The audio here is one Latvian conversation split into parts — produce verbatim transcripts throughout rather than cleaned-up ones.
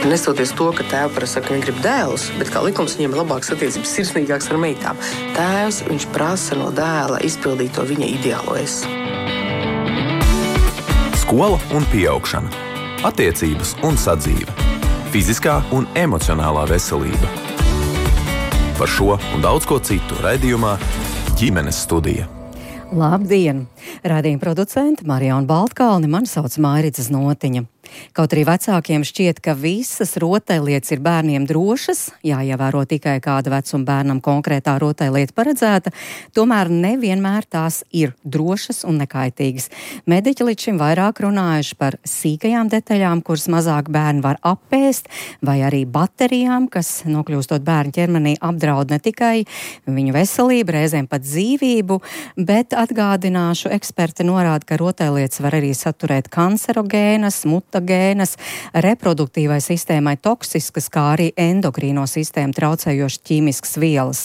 Nestoties to, ka tēva parasti saka, ka viņi grib dēlus, bet kā likums viņiem ir labāks attiecības, sirsnīgāks ar meitām. Tēvs, viņš prasa no dēla izpildīt to viņa ideālo es. Skola un pieaugšana. Attiecības un sadzīve. Fiziskā un emocionālā veselība. Par šo un daudz ko citu raidījumā Ģimenes studija. Labdien! Raidījuma producente Marijona Baltkalne, mani sauc Mairita Znotiņa. Kaut arī vecākiem šķiet, ka visas rotaļlietas ir bērniem drošas, jāievēro tikai kāda vecuma bērnam konkrētā rotaļlieta paredzēta, tomēr nevienmēr tās ir drošas un nekaitīgas. Mediķi līdz šim vairāk runājuši par sīkajām detaļām, kuras mazāk bērni var apēst, vai arī baterijām, kas, nokļūstot bērnu ķermenī, apdraud ne tikai viņu veselību, reizēm pat dzīvību, bet atgādināšu, eksperti norāda, ka rotaļlietas var arī saturēt kancerogēnas, mutagēnas, gēnas, reproduktīvai sistēmai toksiskas, kā arī endokrīno sistēmu traucējošas ķīmiskas vielas.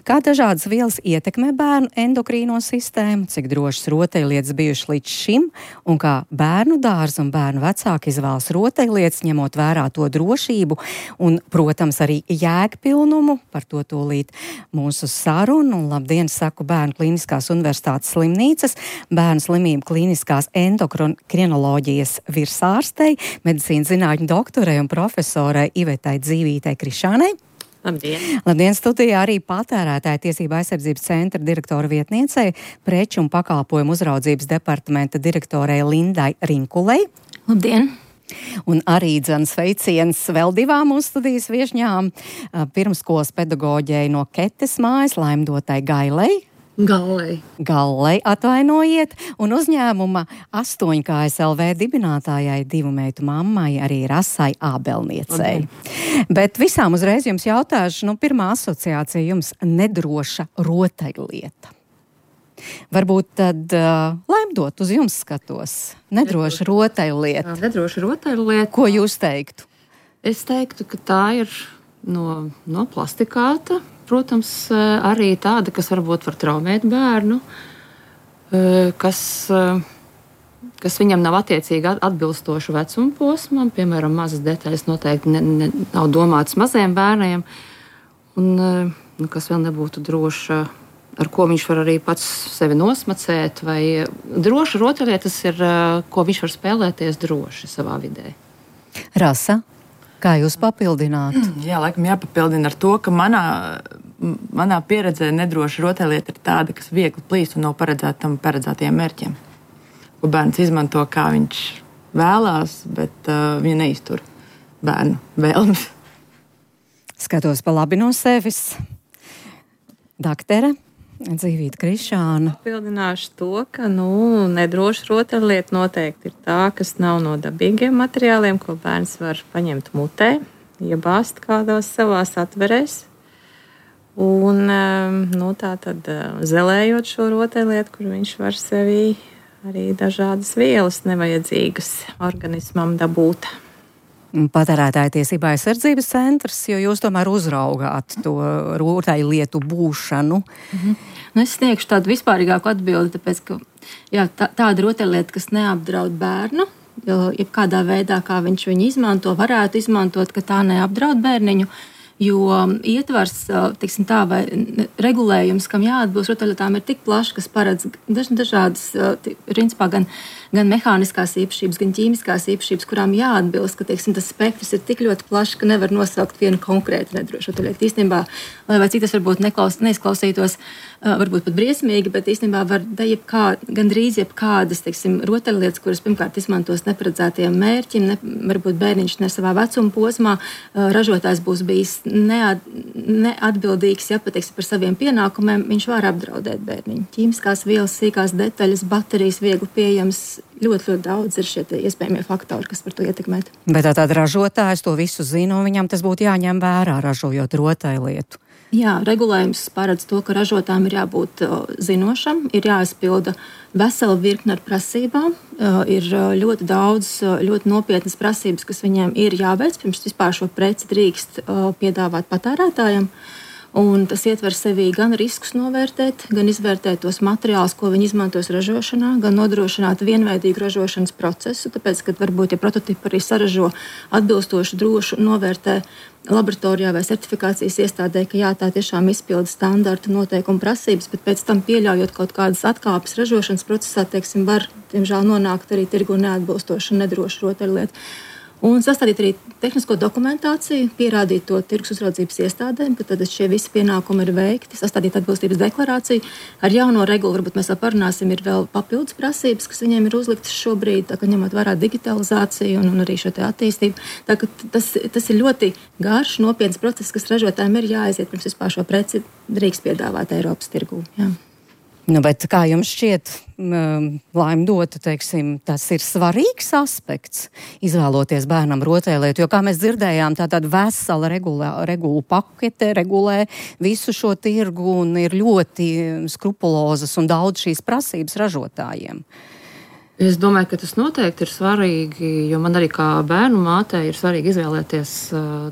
Kā dažādas vielas ietekmē bērnu endokrīno sistēmu, cik drošas rotaļlietas bijušas līdz šim, un kā bērnu dārza un bērnu vecāki izvēlas rotaļlietas, ņemot vērā to drošību un, protams, arī jēgpilnumu, par to tūlīt mūsu sarunu. Un labdien, saku Bērnu Kliniskās Universitātes slimnīcas, bērnu slimību kliniskās endokrinoloģijas virsārstei, medicīnas zinātņu doktorei un profesorai Ivetai Dzīvītei Krišānei. Labdien! Labdien, studijā arī patērētāja tiesība aizsardzības centra direktora vietniecei, preču un pakalpojumu uzraudzības departamenta direktorei Lindai Rinkulei. Labdien! Un arī dzans sveiciens vēl divām mūsu studijas viešņām, pirmskolas pedagoģei no Ketes mājas, Laimdotai Gailei. Gallei. Gallei, atvainojiet, un uzņēmuma astoņkājas L V dibinātājai, divu meitu mammai, arī Rasai Ābelniecei. Okay. Bet visām uzreiz jums jautāšu, nu, pirmā asociācija jums nedroša rotaļlieta. Varbūt tad uh, Laimdot uz jums skatos. Nedroša rotaļlieta. Nedroša rotaļlieta. Ko jūs teiktu? Es teiktu, ka tā ir no, no plastikāta. Protams, arī tāda, kas varbūt var traumēt bērnu, kas, kas viņam nav attiecīgi atbilstoša vecuma posmam, piemēram, mazas detaļas noteikti ne, ne, nav domātas maziem bērniem, un nu, kas vēl nebūtu droša, ar ko viņš var arī pats sevi nosmacēt, vai droša rotaļlietas ir, ko viņš var spēlēties droši savā vidē. Rasa? Kā jūs papildinātu? Jā, laikam jāpapildina ar to, ka manā, manā pieredzē nedroša rotaļlieta ir tāda, kas viegli plīst un nav paredzēta tam paredzētajiem mērķiem. Ko bērns izmanto, kā viņš vēlās, bet uh, viņa neiztur bērnu vēlmes. Skatos pa labi no sevis. Daktere Dzīvīte Krišāna. Papildināšu to, ka nu, nedroša rotaļlieta noteikti ir tā, kas nav no dabīgiem materiāliem, ko bērns var paņemt mutē, iebāzt kādās savās atverēs. Un nu, tā tad zelējot šo rotaļlietu, kur viņš var sevī arī dažādas vielas nevajadzīgas organismam dabūt. Patērētāja tiesība aizsardzības centrs, jo jūs tomēr uzraugāt to rotaļlietu būšanu. Mhm. Nu, es sniegšu tādu vispārīgāku atbildi, tāpēc, ka jā, tā, tāda rotaļlieta, kas neapdraud bērnu, jebkādā veidā, kā viņš viņu izmanto, varētu izmantot, ka tā neapdraud bērniņu, jo ietvars, teiksim tā, vai regulējums, kam jāatbilst rotaļlietām, ir tik plašs, kas paredz daž, dažādas, principā, gan gan mehāniskās īpašības, gan ķīmiskās īpašības, kurām jāatbilst, ka teiksim, tas spektrs ir tik ļoti plašs, ka nevar nosaukt vienu konkrētu nedrošu rotaļlietu. Īstenībā, lai vai cik tas varbūt neklaus, neizklausītos, varbūt pat briesmīgi, bet īstenībā var jebkā, gandrīz jebkādas teiksim, rotaļlietas, kuras pirmkārt izmantos neparedzētiem mērķim, ne, varbūt bērniņš ne savā vecuma posmā, ražotājs būs bijis neat, neatbildīgs, ja pateiksim, par saviem pienākumiem, viņš var apdraudēt bērniņu. Ķīmiskās vielas, sīkās detaļas, baterijas viegli pieejams, ļoti, ļoti daudz ir šie iespējamie faktori, kas var to ietekmēt. Bet tā tāda ražotājs to visu zina, un viņam tas būtu jāņem vērā, ražojot rotaļlietu. Jā, regulējums paredz to, ka ražotājiem ir jābūt zinošam, ir jāizpilda vesela virkne ar prasībām, ir ļoti daudz, ļoti nopietnas prasības, kas viņiem ir jāveic, pirms vispār šo preci drīkst piedāvāt patērētājiem. Un tas ietver sevī gan riskus novērtēt, gan izvērtēt tos materiālus, ko viņi izmantos ražošanā, gan nodrošināt vienveidīgu ražošanas procesu, tāpēc, ka varbūt, ja prototipu arī saražo atbilstoši drošu, novērtē laboratorijā vai certifikācijas iestādē, ka jā, tā tiešām izpilda standarta noteikuma prasības, bet pēc tam pieļaujot kaut kādas atkāpes ražošanas procesā, teiksim, var, diemžēl, nonākt arī tirgu neatbilstoši un nedroši rotaļlietu. Un sastādīt arī tehnisko dokumentāciju, pierādīt to tirgus uzraudzības iestādēm, ka tad šie visi pienākumi ir veikti, sastādīt atbilstības deklarāciju. Ar jauno regulu varbūt mēs vēl parunāsim, ir vēl papildus prasības, kas viņiem ir uzliktas šobrīd, tā kā ņemot vērā digitalizāciju un, un arī šo te attīstību. Tā ka tas, tas ir ļoti garš, nopietns process, kas ražotājiem ir jāaiziet, pirms vispār šo preci drīkst piedāvāt Eiropas tirgū. Jā. Nu, bet kā jums šķiet, Laima Dota, teiksim, tas ir svarīgs aspekts, izvēloties bērnam rotaļlietu, jo, kā mēs dzirdējām, tā tāda vesela regula, regulu pakete regulē visu šo tirgu un ir ļoti skrupulozas un daudz šīs prasības ražotājiem. Es domāju, ka tas noteikti ir svarīgi, jo man arī kā bērnu mātei ir svarīgi izvēlēties,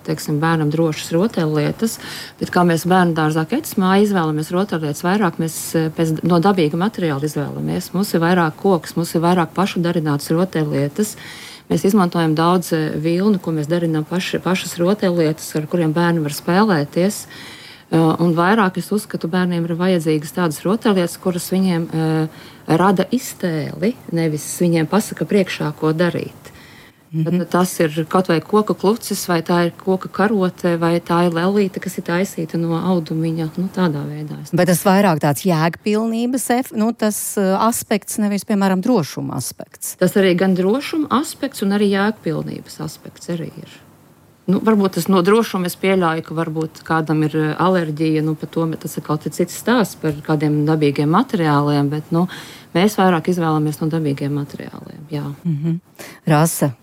teiksim, bērnam drošas rotaļlietas, bet kā mēs bērnu dārzā Kecmā izvēlamies rotaļlietas vairāk, mēs pēc, no dabīga materiāla izvēlamies. Mums ir vairāk koks, mums ir vairāk pašu darinātas rotaļlietas. Mēs izmantojam daudz vilnu, ko mēs darinām paši, pašas rotaļlietas, ar kuriem bērni var spēlēties. Un vairāk es uzskatu, bērniem ir vajadzīgas tādas rotaļlietas, kuras viņiem uh, rada iztēli, nevis viņiem pasaka priekšā, ko darīt. Mm-hmm. Tad tas ir kaut vai koka klucis, vai tā ir koka karote, vai tā ir lelīte, kas ir taisīta no audumiņa, nu tādā veidā. Bet tas vairāk tāds jēgpilnības nu, tas uh, aspekts, nevis, piemēram, drošuma aspekts. Tas arī gan drošuma aspekts un arī jēgpilnības aspekts arī ir. Nu, varbūt tas no drošuma es pieļauju, ka varbūt kādam ir alerģija, nu, par to tas ir kaut cits stāsts par kādiem dabīgiem materiāliem, bet nu, mēs vairāk izvēlamies no dabīgiem materiāliem. Jā. Mm-hmm. Rasa,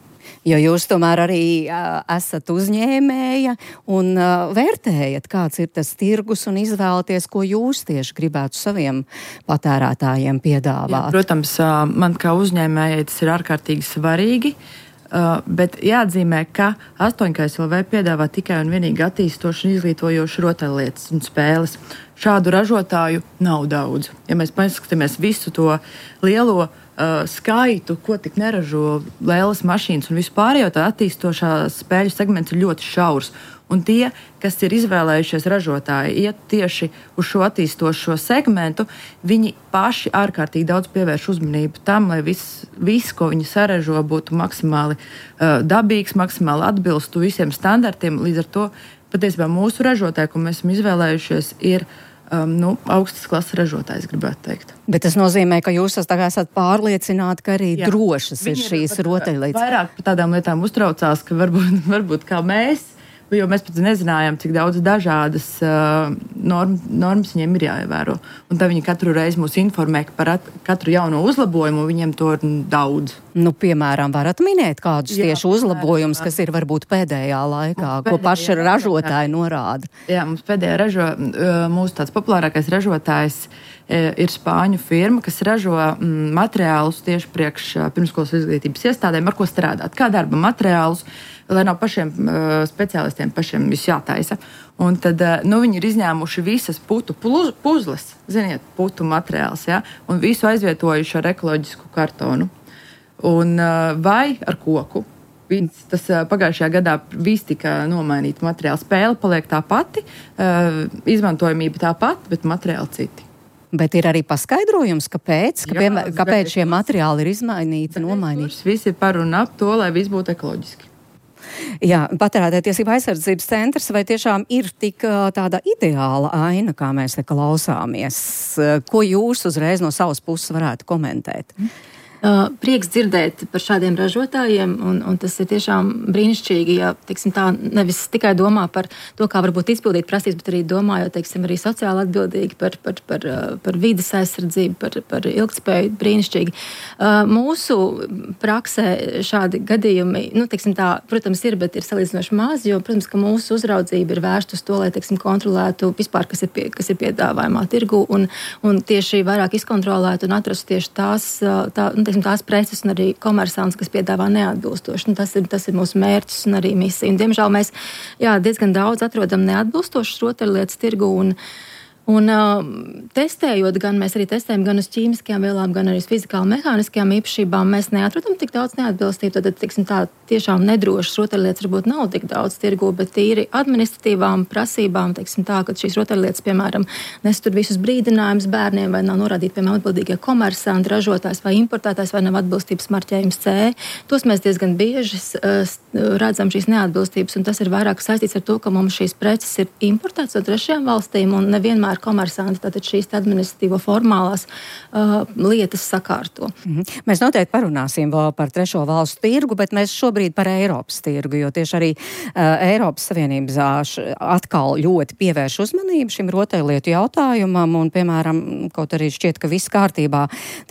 jo jūs tomēr arī uh, esat uzņēmēja un uh, vērtējat, kāds ir tas tirgus un izvēlaties, ko jūs tieši gribētu saviem patērētājiem piedāvāt. Jā, protams, man kā uzņēmējai tas ir ārkārtīgi svarīgi. Uh, bet jāatzīmē, ka astoņkais L V piedāvā tikai un vienīgi attīstoši un izglītojoši rotaļlietas un spēles. Šādu ražotāju nav daudz. Ja mēs paskatāmies visu to lielo uh, skaitu, ko tik neražo lielas mašīnas un vispārējo, tā attīstošā spēļu segments ir ļoti šaurs. Un tie, kas ir izvēlējušies ražotāji, iet tieši uz šo attīstošo segmentu, viņi paši ārkārtīgi daudz pievērš uzmanību tam, lai viss, vis, ko viņi saražo, būtu maksimāli uh, dabīgs, maksimāli atbilstu visiem standartiem. Līdz ar to patiesībā mūsu ražotāji, ko mēs esam izvēlējušies, ir um, nu, augstas klases ražotājs, gribētu teikt. Bet tas nozīmē, ka jūs esat pārliecināti, ka arī Jā. drošas ir šīs rotaļlietas. Vairāk par tādām lietām uztraucās, ka varbūt, varbūt kā mēs, jo mēs pat nezinājām, cik daudz dažādas uh, norm, normas viņiem ir jāievēro. Un tad viņi katru reizi mūs informē par at, katru jauno uzlabojumu, viņiem to ir daudz. Nu, piemēram, varat minēt kādus Jā, tieši uzlabojumus, jā. kas ir varbūt pēdējā laikā, pēdējā, ko paši ražotāji norāda? Jā, mums pēdējā ražo, mūsu tāds populārākais ražotājs ir spāņu firma, kas ražo mm, materiālus tieši priekš pirmskolas izglītības iestādēm, ar ko strādāt. Kā darba materiālus, lai nav pašiem uh, speciālistiem pašiem viss jātaisa. Un tad uh, nu, viņi ir izņēmuši visas putu puzles, ziniet, putu materiāls, ja, un visu aizvietojuši ar ekoloģisku kartonu. Un, uh, vai ar koku. Viss, tas uh, pagājušajā gadā viss tika nomainīta materiāla. Spēle paliek tā pati, uh, izmantojamība tā pati, bet materiāli citi. Bet ir arī paskaidrojums, kāpēc, ka, Jā, kāpēc šie materiāli ir izmainīti, nomainīti. Viss ir par un ap to, lai viss būtu ekoloģiski. Jā, patērētāju tiesību aizsardzības centrs, vai tiešām ir tik tāda ideāla aina, kā mēs te klausāmies? Ko jūs uzreiz no savas puses varētu komentēt? Mm. Uh, prieks dzirdēt par šādiem ražotājiem, un, un tas ir tiešām brīnišķīgi, ja teiksim, tā nevis tikai domā par to, kā varbūt izpildīt prasības, bet arī domājot, teiksim, arī sociāli atbildīgi par, par, par, par vides aizsardzību, par, par ilgtspēju, brīnišķīgi. Uh, mūsu praksē šādi gadījumi, nu, teiksim, tā, protams, ir, bet ir salīdzinoši maz, jo, protams, ka mūsu uzraudzība ir vērsta uz to, lai, teiksim, kontrolētu vispār, kas ir, pie, kas ir piedāvājumā tirgu, un, un tieši vairāk izkontrolētu un atrastu tieši tās, tā, nu, teiksim, tās preces un arī komersants, kas piedāvā neatbilstoši. Nu, tas, ir, tas ir mūsu mērķis un arī misija. Un, diemžēl mēs jā, diezgan daudz atrodam neatbilstošas rotaļlietas tirgu un Un uh, testējot, gan mēs arī testējam gan uz ķīmiskajām vielām, gan arī uz fizikāli-mehāniskajām īpašībām, mēs neatrodam tik daudz neatbilstību. Tad, tiksim, tā tiešām nedrošas rotaļlietas varbūt nav tik daudz tirgu, bet tīri administratīvām prasībām, teiksim tā, ka šīs rotaļlietas, piemēram, nestur visus brīdinājumus bērniem, vai nav norādīti, piemēram, atbildīgie komersanti, ražotājs vai importētājs, vai nav atbilstības marķējums C. Tos mēs diezgan bieži uh, redzam šīs neatbilstības, un tas ir vairāk saistīts ar to, ka mums šīs preces ir importētas no trešajām valstīm un nevienmēr komersanti, tātad šīs administratīvo formālās uh, lietas sakārto. Mm-hmm. Mēs noteikti parunāsim vēl par trešo valstu tirgu, bet mēs šobrīd par Eiropas tirgu, jo tieši arī uh, Eiropas Savienības atkal ļoti pievērš uzmanību šim rotaļlietu jautājumam, un, piemēram, kaut arī šķiet, ka viss kārtībā,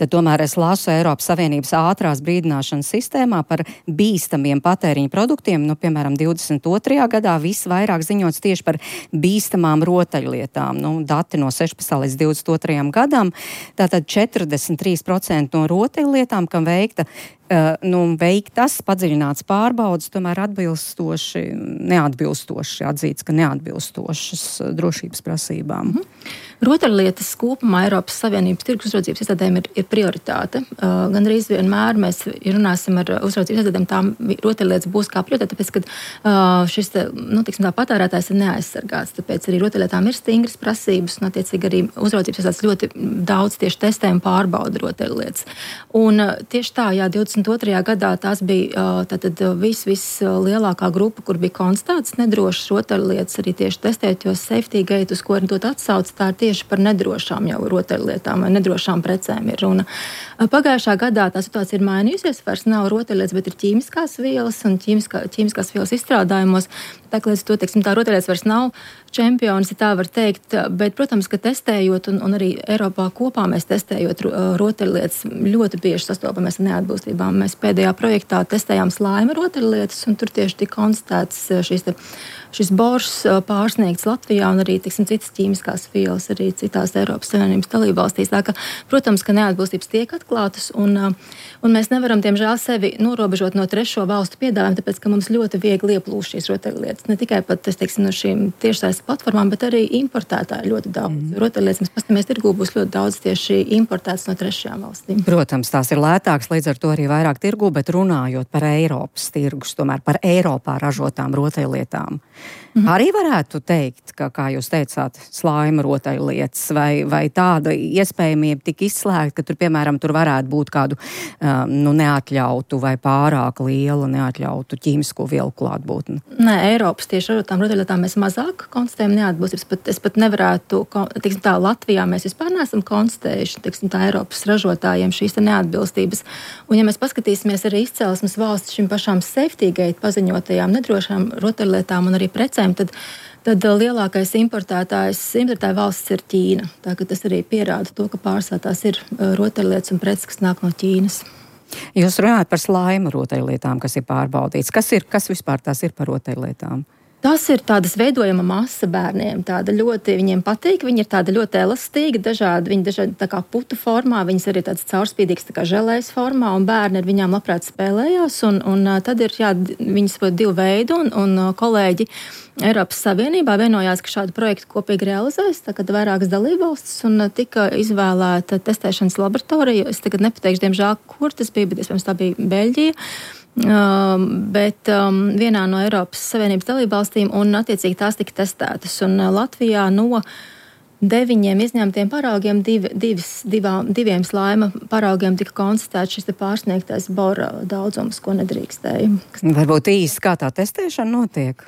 tad tomēr es lasu Eiropas Savienības ātrās brīdināšanas sistēmā par bīstamiem patēriņu produktiem, nu, piemēram, divdesmit otrajā gadā visvairāk ziņots tieši par bīstamām rotaļlietām. Nu, dati no sešpadsmit līdz divdesmit otrajam gadam, tātad četrdesmit trīs procenti no rotaļlietām, kam veikta, uh, nu, veiktas padziļināts pārbaudas, tomēr atbilstoši, neatbilstoši, atzīts, ka neatbilstošas drošības prasībām. Mm-hmm. Rotaļlietas kopumā Eiropas Savienības tirgus uzraudzības iestādēm ir, ir prioritāte. Uh, gan arī vienmēr mēs runāsim ar uzraudzības iestādēm, tām rotaļlietas būs kā prioritāte, tāpēc, ka uh, šis, nu, tiksim tā, patērētājs ir neaizsargāts, tāpēc arī rotaļlietām ir stingras prasības, un attiecīgi arī uzraudzības iestādes ļoti daudz tieši testē un pārbauda rotaļlietas. Un uh, tieši tā, jā, divdesmit otrajā gadā tās bija uh, tātad vis, vis lielākā grupa, kur bija konstatētas nedrošas rotaļlietas, arī tieši testēt, jo safety gate, uz ko ir dot atsauc, tā ir tieši par nedrošām jau rotaļlietām vai nedrošām precēm ir runa. Pagājušā gadā tā situācija ir mainījusies, vairs nav rotaļlietas, bet ir ķīmiskās vielas un ķīmiskā, ķīmiskās vielas izstrādājumos. Tā kā līdz to, teiksim, tā rotaļlietas vairs nav čempions, ja tā var teikt, bet, protams, ka testējot un, un arī Eiropā kopā mēs testējot rotaļlietas ļoti bieži sastopamies ar neatbilstībām. Mēs pēdējā projektā testējām slaima rotaļlietas un tur tieši tika konstatēts šīs te, šis bors pārsniegts Latvijā un arī, teiksim, citas ķīmiskās vielas arī citās Eiropas Savienības dalībvalstīs. Tā ka, protams, ka neatbilstības tiek atklātas un, un mēs nevaram, diemžēl, sevi norobežot no trešo valstu piedāvājumu, tāpēc, ka mums ļoti viegli ieplūst šīs rotaļlietas. Ne tikai pat, es teiksim, no šīm tiešsaistes platformām, bet arī importētāji ļoti daudz. Mm. Rotaļlietas, mēs paskatāmies tirgū, būs ļoti daudz tieši importētas no trešajām valstīm. Protams, tās ir lētākas, līdz ar to arī vairāk tirgū, bet runājot par Eiropas tirgus, tomēr par Eiropā ražotām rotaļlietām. Mm-hmm. Arī varētu teikt, ka, kā jūs teicāt, slaima rotaļlietas vai, vai tāda iespējamība tik izslēgta, ka tur, piemēram, tur varētu būt kādu um, nu, neatļautu vai pārāk liela neatļautu ķīmisko vielu klātbūtni. Nē, Eiropas tieši ražotām rotaļlietām mēs mazāk konstatējam neatbilstības, bet es pat nevarētu, teiksim tā, Latvijā mēs vispār neesam konstatējuši, teiksim tā, Eiropas ražotājiem šīs te neatbilstības. Un ja mēs paskatīsimies arī izcelsmes valsts šim pašām safety gate paziņotajām nedrošām rotaļlietām un arī precēm, tad tad lielākais importētājs, importētāja valsts ir Ķīna. Tā ka tas arī pierāda to, ka pārsvarā tās ir rotaļlietas un preces, kas nāk no Ķīnas. Jūs runājat par slaima rotaļlietām, kas ir pārbaudīts. Kas ir, kas vispār tās ir par rotaļlietām? Tas ir tādas veidojama masa bērniem. Tāda ļoti viņiem patīk, viņi ir tāda ļoti elastīga, dažādi, viņi dažādi tā kā putu formā, viņas arī tādas caurspīdīgas tā kā želējas formā, un bērni ar viņām labprāt spēlējās, un, un tad ir, jā, viņas ir divu veidu, un, un kolēģi Eiropas Savienībā vienojās, ka šādu projektu kopīgi realizēs, tā kā vairākas dalībvalstis, un tika izvēlēta testēšanas laboratorija. Es tagad nepateikšu, diemžēl, kur tas bija, bet iespējams tā bija Beļģija. Um, bet um, vienā no Eiropas Savienības dalībvalstīm, un attiecīgi tās tika testētas. Un uh, Latvijā no deviņiem izņemtiem paraugiem, divi, divis, divām, diviem slaima paraugiem tika konstatēts šis te pārsniegtais bora daudzums, ko nedrīkstēja. Varbūt īsti kā tā testēšana notiek?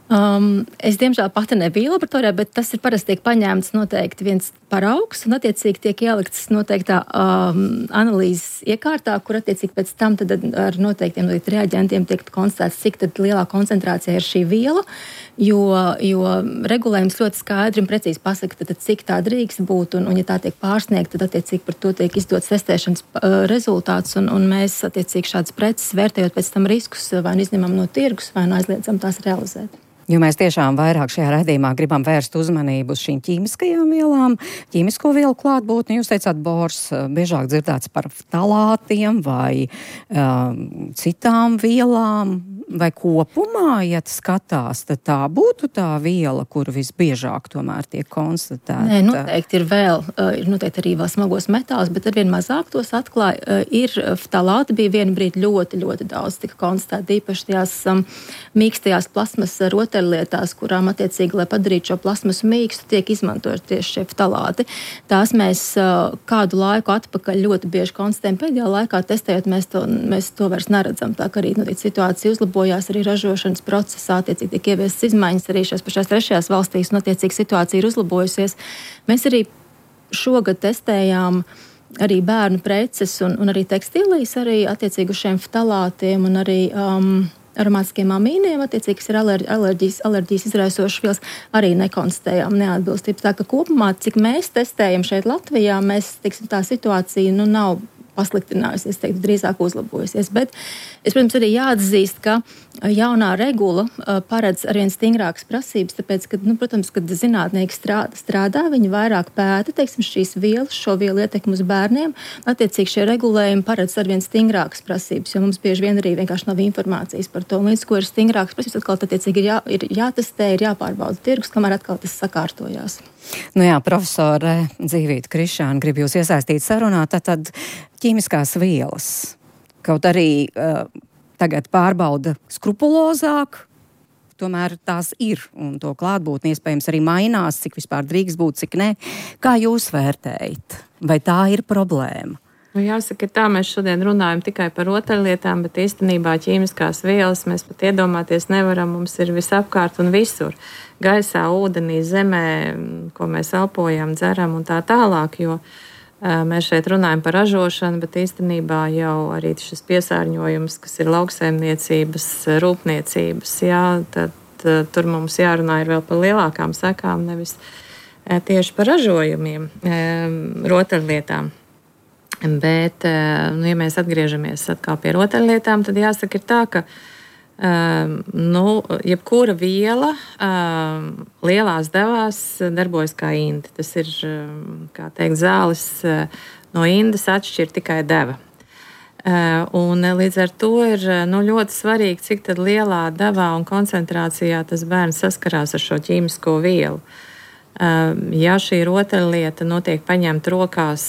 Um, es, diemžēl, pati nebiju laboratorijā, bet tas ir parasti tiek paņēmts noteikti viens paraugs un attiecīgi tiek ielikts noteiktā um, analīzes iekārtā, kur attiecīgi pēc tam tad ar noteiktiem reaģentiem tiek konstatēts, cik tad lielā koncentrācijā ir šī viela, jo, jo regulējums ļoti skaidri un precīzi pasaka, tad, tad cik tā drīkst būt, un, un ja tā tiek pārsniegta, tad attiecīgi par to tiek izdots testēšanas uh, rezultāts, un, un mēs attiecīgi šādas preces vērtējot pēc tam riskus vai izņemam no tirgus vai aizliedzam tās realizēt. Jo mēs tiešām vairāk šajā raidījumā gribam vērst uzmanību uz šīm ķīmiskajām vielām, ķīmisko vielu klātbūtni. Jūs teicāt, bors, biežāk dzirdēts par ftalātiem vai um, citām vielām, vai kopumā, ja skatās, tad tā būtu tā viela, kur visbiežāk tomēr tiek konstatēta? Nē, noteikti ir vēl, ir noteikti arī vēl smagos metālus, bet arvien mazāk tos atklāja. Ir ftalāti bija vienu brīdi ļoti, ļoti daudz tika konstatēti, īpaši tajās um, mīkstajās plasmas rotaļlietās, kurām attiecīgi, lai padarītu šo plasmasu mīkstu, tiek izmantot tieši šie ftalāti. Tās mēs uh, kādu laiku atpakaļ ļoti bieži konstatējam. Pēdējā laikā testējot, mēs to, mēs to vairs neredzam. Tā kā arī notiek situācija uzlabojās arī ražošanas procesā, attiecīgi tiek ieviestas izmaiņas arī šās pašās trešajās valstīs, un attiecīgi situācija ir uzlabojusies. Mēs arī šogad testējām arī bērnu preces un, un arī tekstīlijas, arī attiecīgi uz šiem ftalātiem un arī um, aromātiskiem amīniem, attiecīgi, kas ir alerģijas, alerģijas izraisošas vielas, arī nekonstatējām neatbilstības. Tā ka kopumā, cik mēs testējam šeit Latvijā, mēs, teiksim, tā situācija, nu, nav pasliktinājusies, teiktu, drīzāk uzlabojusies. Bet es, protams, arī jāatzīst, ka jaunā regula paredz arvien stingrākas prasības, tāpēc, ka, nu, protams, kad zinātnieki strādā, strādā, viņi vairāk pēta, teiksim, šīs vielas, šo vielu ietekmi uz bērniem, attiecīgi šie regulējumi paredz arvien stingrākas prasības, jo mums bieži vien arī vienkārši nav informācijas par to. Un līdz ko ir stingrākas prasības, atkal attiecīgi ir, jā, ir jātestē, ir jāpārbauda tirgus, kamēr atkal tas sakārtojās. Nu jā, profesore Dzīvīte Krišāne, grib jūs iesaistīt sarunā, tad ķīmiskās vielas, kaut arī uh, tagad pārbauda skrupulozāk, tomēr tās ir, un to klātbūtni iespējams arī mainās, cik vispār drīkst būt, cik ne. Kā jūs vērtējat? Vai tā ir problēma? Nu, jāsaka, tā mēs šodien runājam tikai par rotaļlietām, bet īstenībā ķīmiskās vielas mēs pat iedomāties nevaram, mums ir visapkārt un visur. Gaisā, ūdenī, zemē, ko mēs elpojam, dzeram un tā tālāk, jo mēs šeit runājam par ražošanu, bet īstenībā jau arī šis piesārņojums, kas ir lauksaimniecības, rūpniecības, jā, tad tur mums jārunā ir vēl par lielākām sekām, nevis tieši par ražojumiem, rotaļlietām. Bet, nu, ja mēs atgriežamies atkal pie rotaļlietām, tad jāsaka ir tā, ka nu, jebkura viela lielās devās darbojas kā inde. Tas ir, kā teikt, zāles no indes atšķir tikai deva. Un līdz ar to ir nu, ļoti svarīgi, cik tad lielā devā un koncentrācijā tas bērns saskarās ar šo ķīmisko vielu. Ja šī rotaļlieta notiek paņemt rokās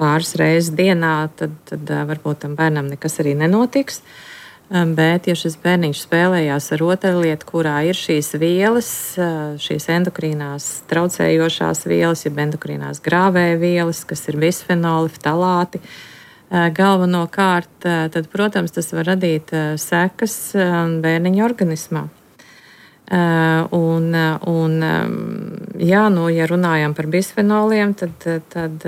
pāris reizes dienā, tad, tad varbūt tam bērnam nekas arī nenotiks. Bet, ja šis bērniņš spēlējās ar rotaļlietu, kurā ir šīs vielas, šīs endokrīnās traucējošās vielas, jeb endokrīnās grāvēja vielas, kas ir bisfenoli, ftalāti, galvenokārt, tad, protams, tas var radīt sekas bērniņa organismā. Uh, un, un, jā, nu, ja runājam par bisfenoliem, tad, tad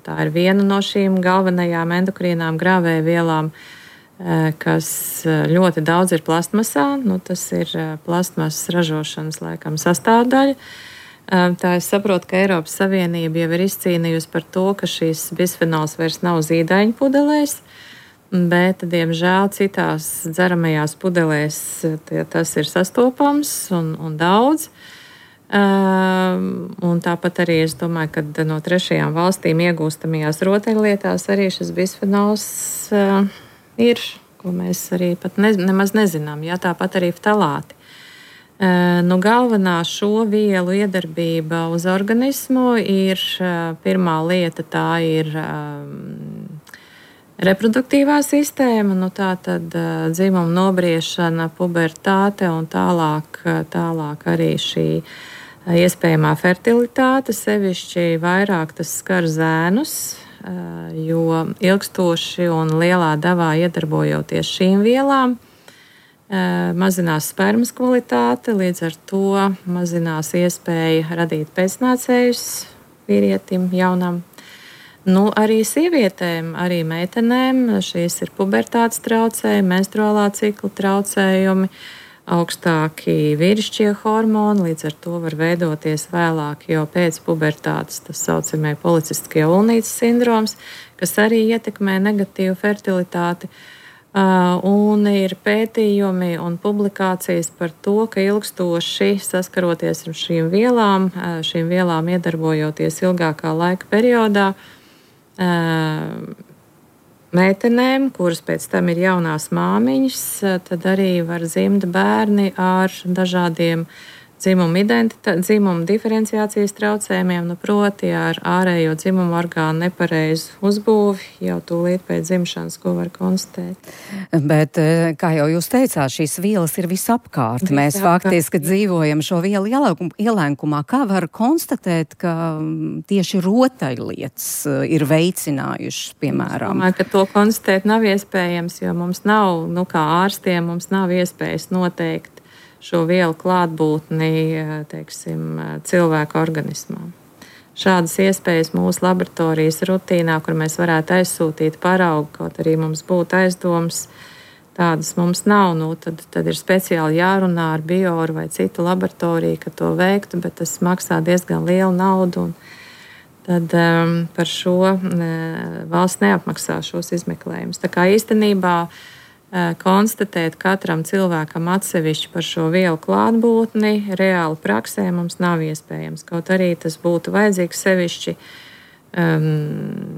tā ir viena no šīm galvenajām endokrīnām grāvējvielām, uh, kas ļoti daudz ir plastmasā. Nu, tas ir plastmasas ražošanas laikam sastāvdaļa. Uh, tā es saprotu, ka Eiropas Savienība jau ir izcīnījusi par to, ka šīs bisfenols vairs nav zīdaiņu pudelēs. Bet, diemžēl, citās dzeramajās pudelēs tas ir sastopams un, un daudz. Um, un tāpat arī es domāju, ka no trešajām valstīm iegūstamajās rotaļlietās arī šis bisfenols uh, ir, ko mēs arī pat ne, nemaz nezinām. Jā, tāpat arī ftalāti. Uh, nu, galvenā šo vielu iedarbība uz organismu ir uh, pirmā lieta, tā ir um, reproduktīvā sistēma, nu tā tad uh, dzimuma nobriešana, pubertāte un tālāk, tālāk arī šī uh, iespējamā fertilitāte, sevišķi vairāk tas skar zēnus, uh, jo ilgstoši un lielā devā iedarbojoties šīm vielām, uh, mazinās spermas kvalitāte, līdz ar to mazinās iespēja radīt pēcnācējus vīrietim jaunam. Nu, arī sievietēm, arī meitenēm šīs ir pubertātes traucējumi, menstruālā cikla traucējumi, augstāki vīrišķie hormoni, līdz ar to var veidoties vēlāk jau pēc pubertātes tas saucamie policistiskie ulnītes sindroms, kas arī ietekmē negatīvu fertilitāti. Un ir pētījumi un publikācijas par to, ka ilgstoši saskaroties ar šīm vielām, šīm vielām iedarbojoties ilgākā laika periodā, meitenēm, kuras pēc tam ir jaunās māmiņas, tad arī var dzimt bērni ar dažādiem dzimumu identitāti, dzimumu diferenciācijas traucējumiem, nu proti ar ārējo dzimumu orgānu nepareizu uzbūvi jau tūlīt pēc dzimšanas, ko var konstatēt. Bet, kā jau jūs teicāt, šīs vielas ir visapkārt. Visapkārt. Mēs faktiski dzīvojam šo vielu ielēkumā. Kā var konstatēt, ka tieši rotaļlietas ir veicinājušas, piemēram? Es domāju, ka to konstatēt nav iespējams, jo mums nav, nu kā ārstiem, mums nav iespējas noteikt šo vielu klātbūtni, teiksim, cilvēka organismā. Šādas iespējas mūsu laboratorijas rutīnā, kur mēs varētu aizsūtīt paraugu, kaut arī mums būtu aizdoms, tādas mums nav. Nu, tad, tad ir speciāli jārunā ar Bioru vai citu laboratoriju, ka to veiktu, bet tas maksā diezgan lielu naudu. Un tad um, par šo ne, valsts neapmaksā šos izmeklējumus. Tā kā īstenībā konstatēt katram cilvēkam atsevišķi par šo vielu klātbūtni reāli praksē mums nav iespējams. Kaut arī tas būtu vajadzīgs sevišķi um,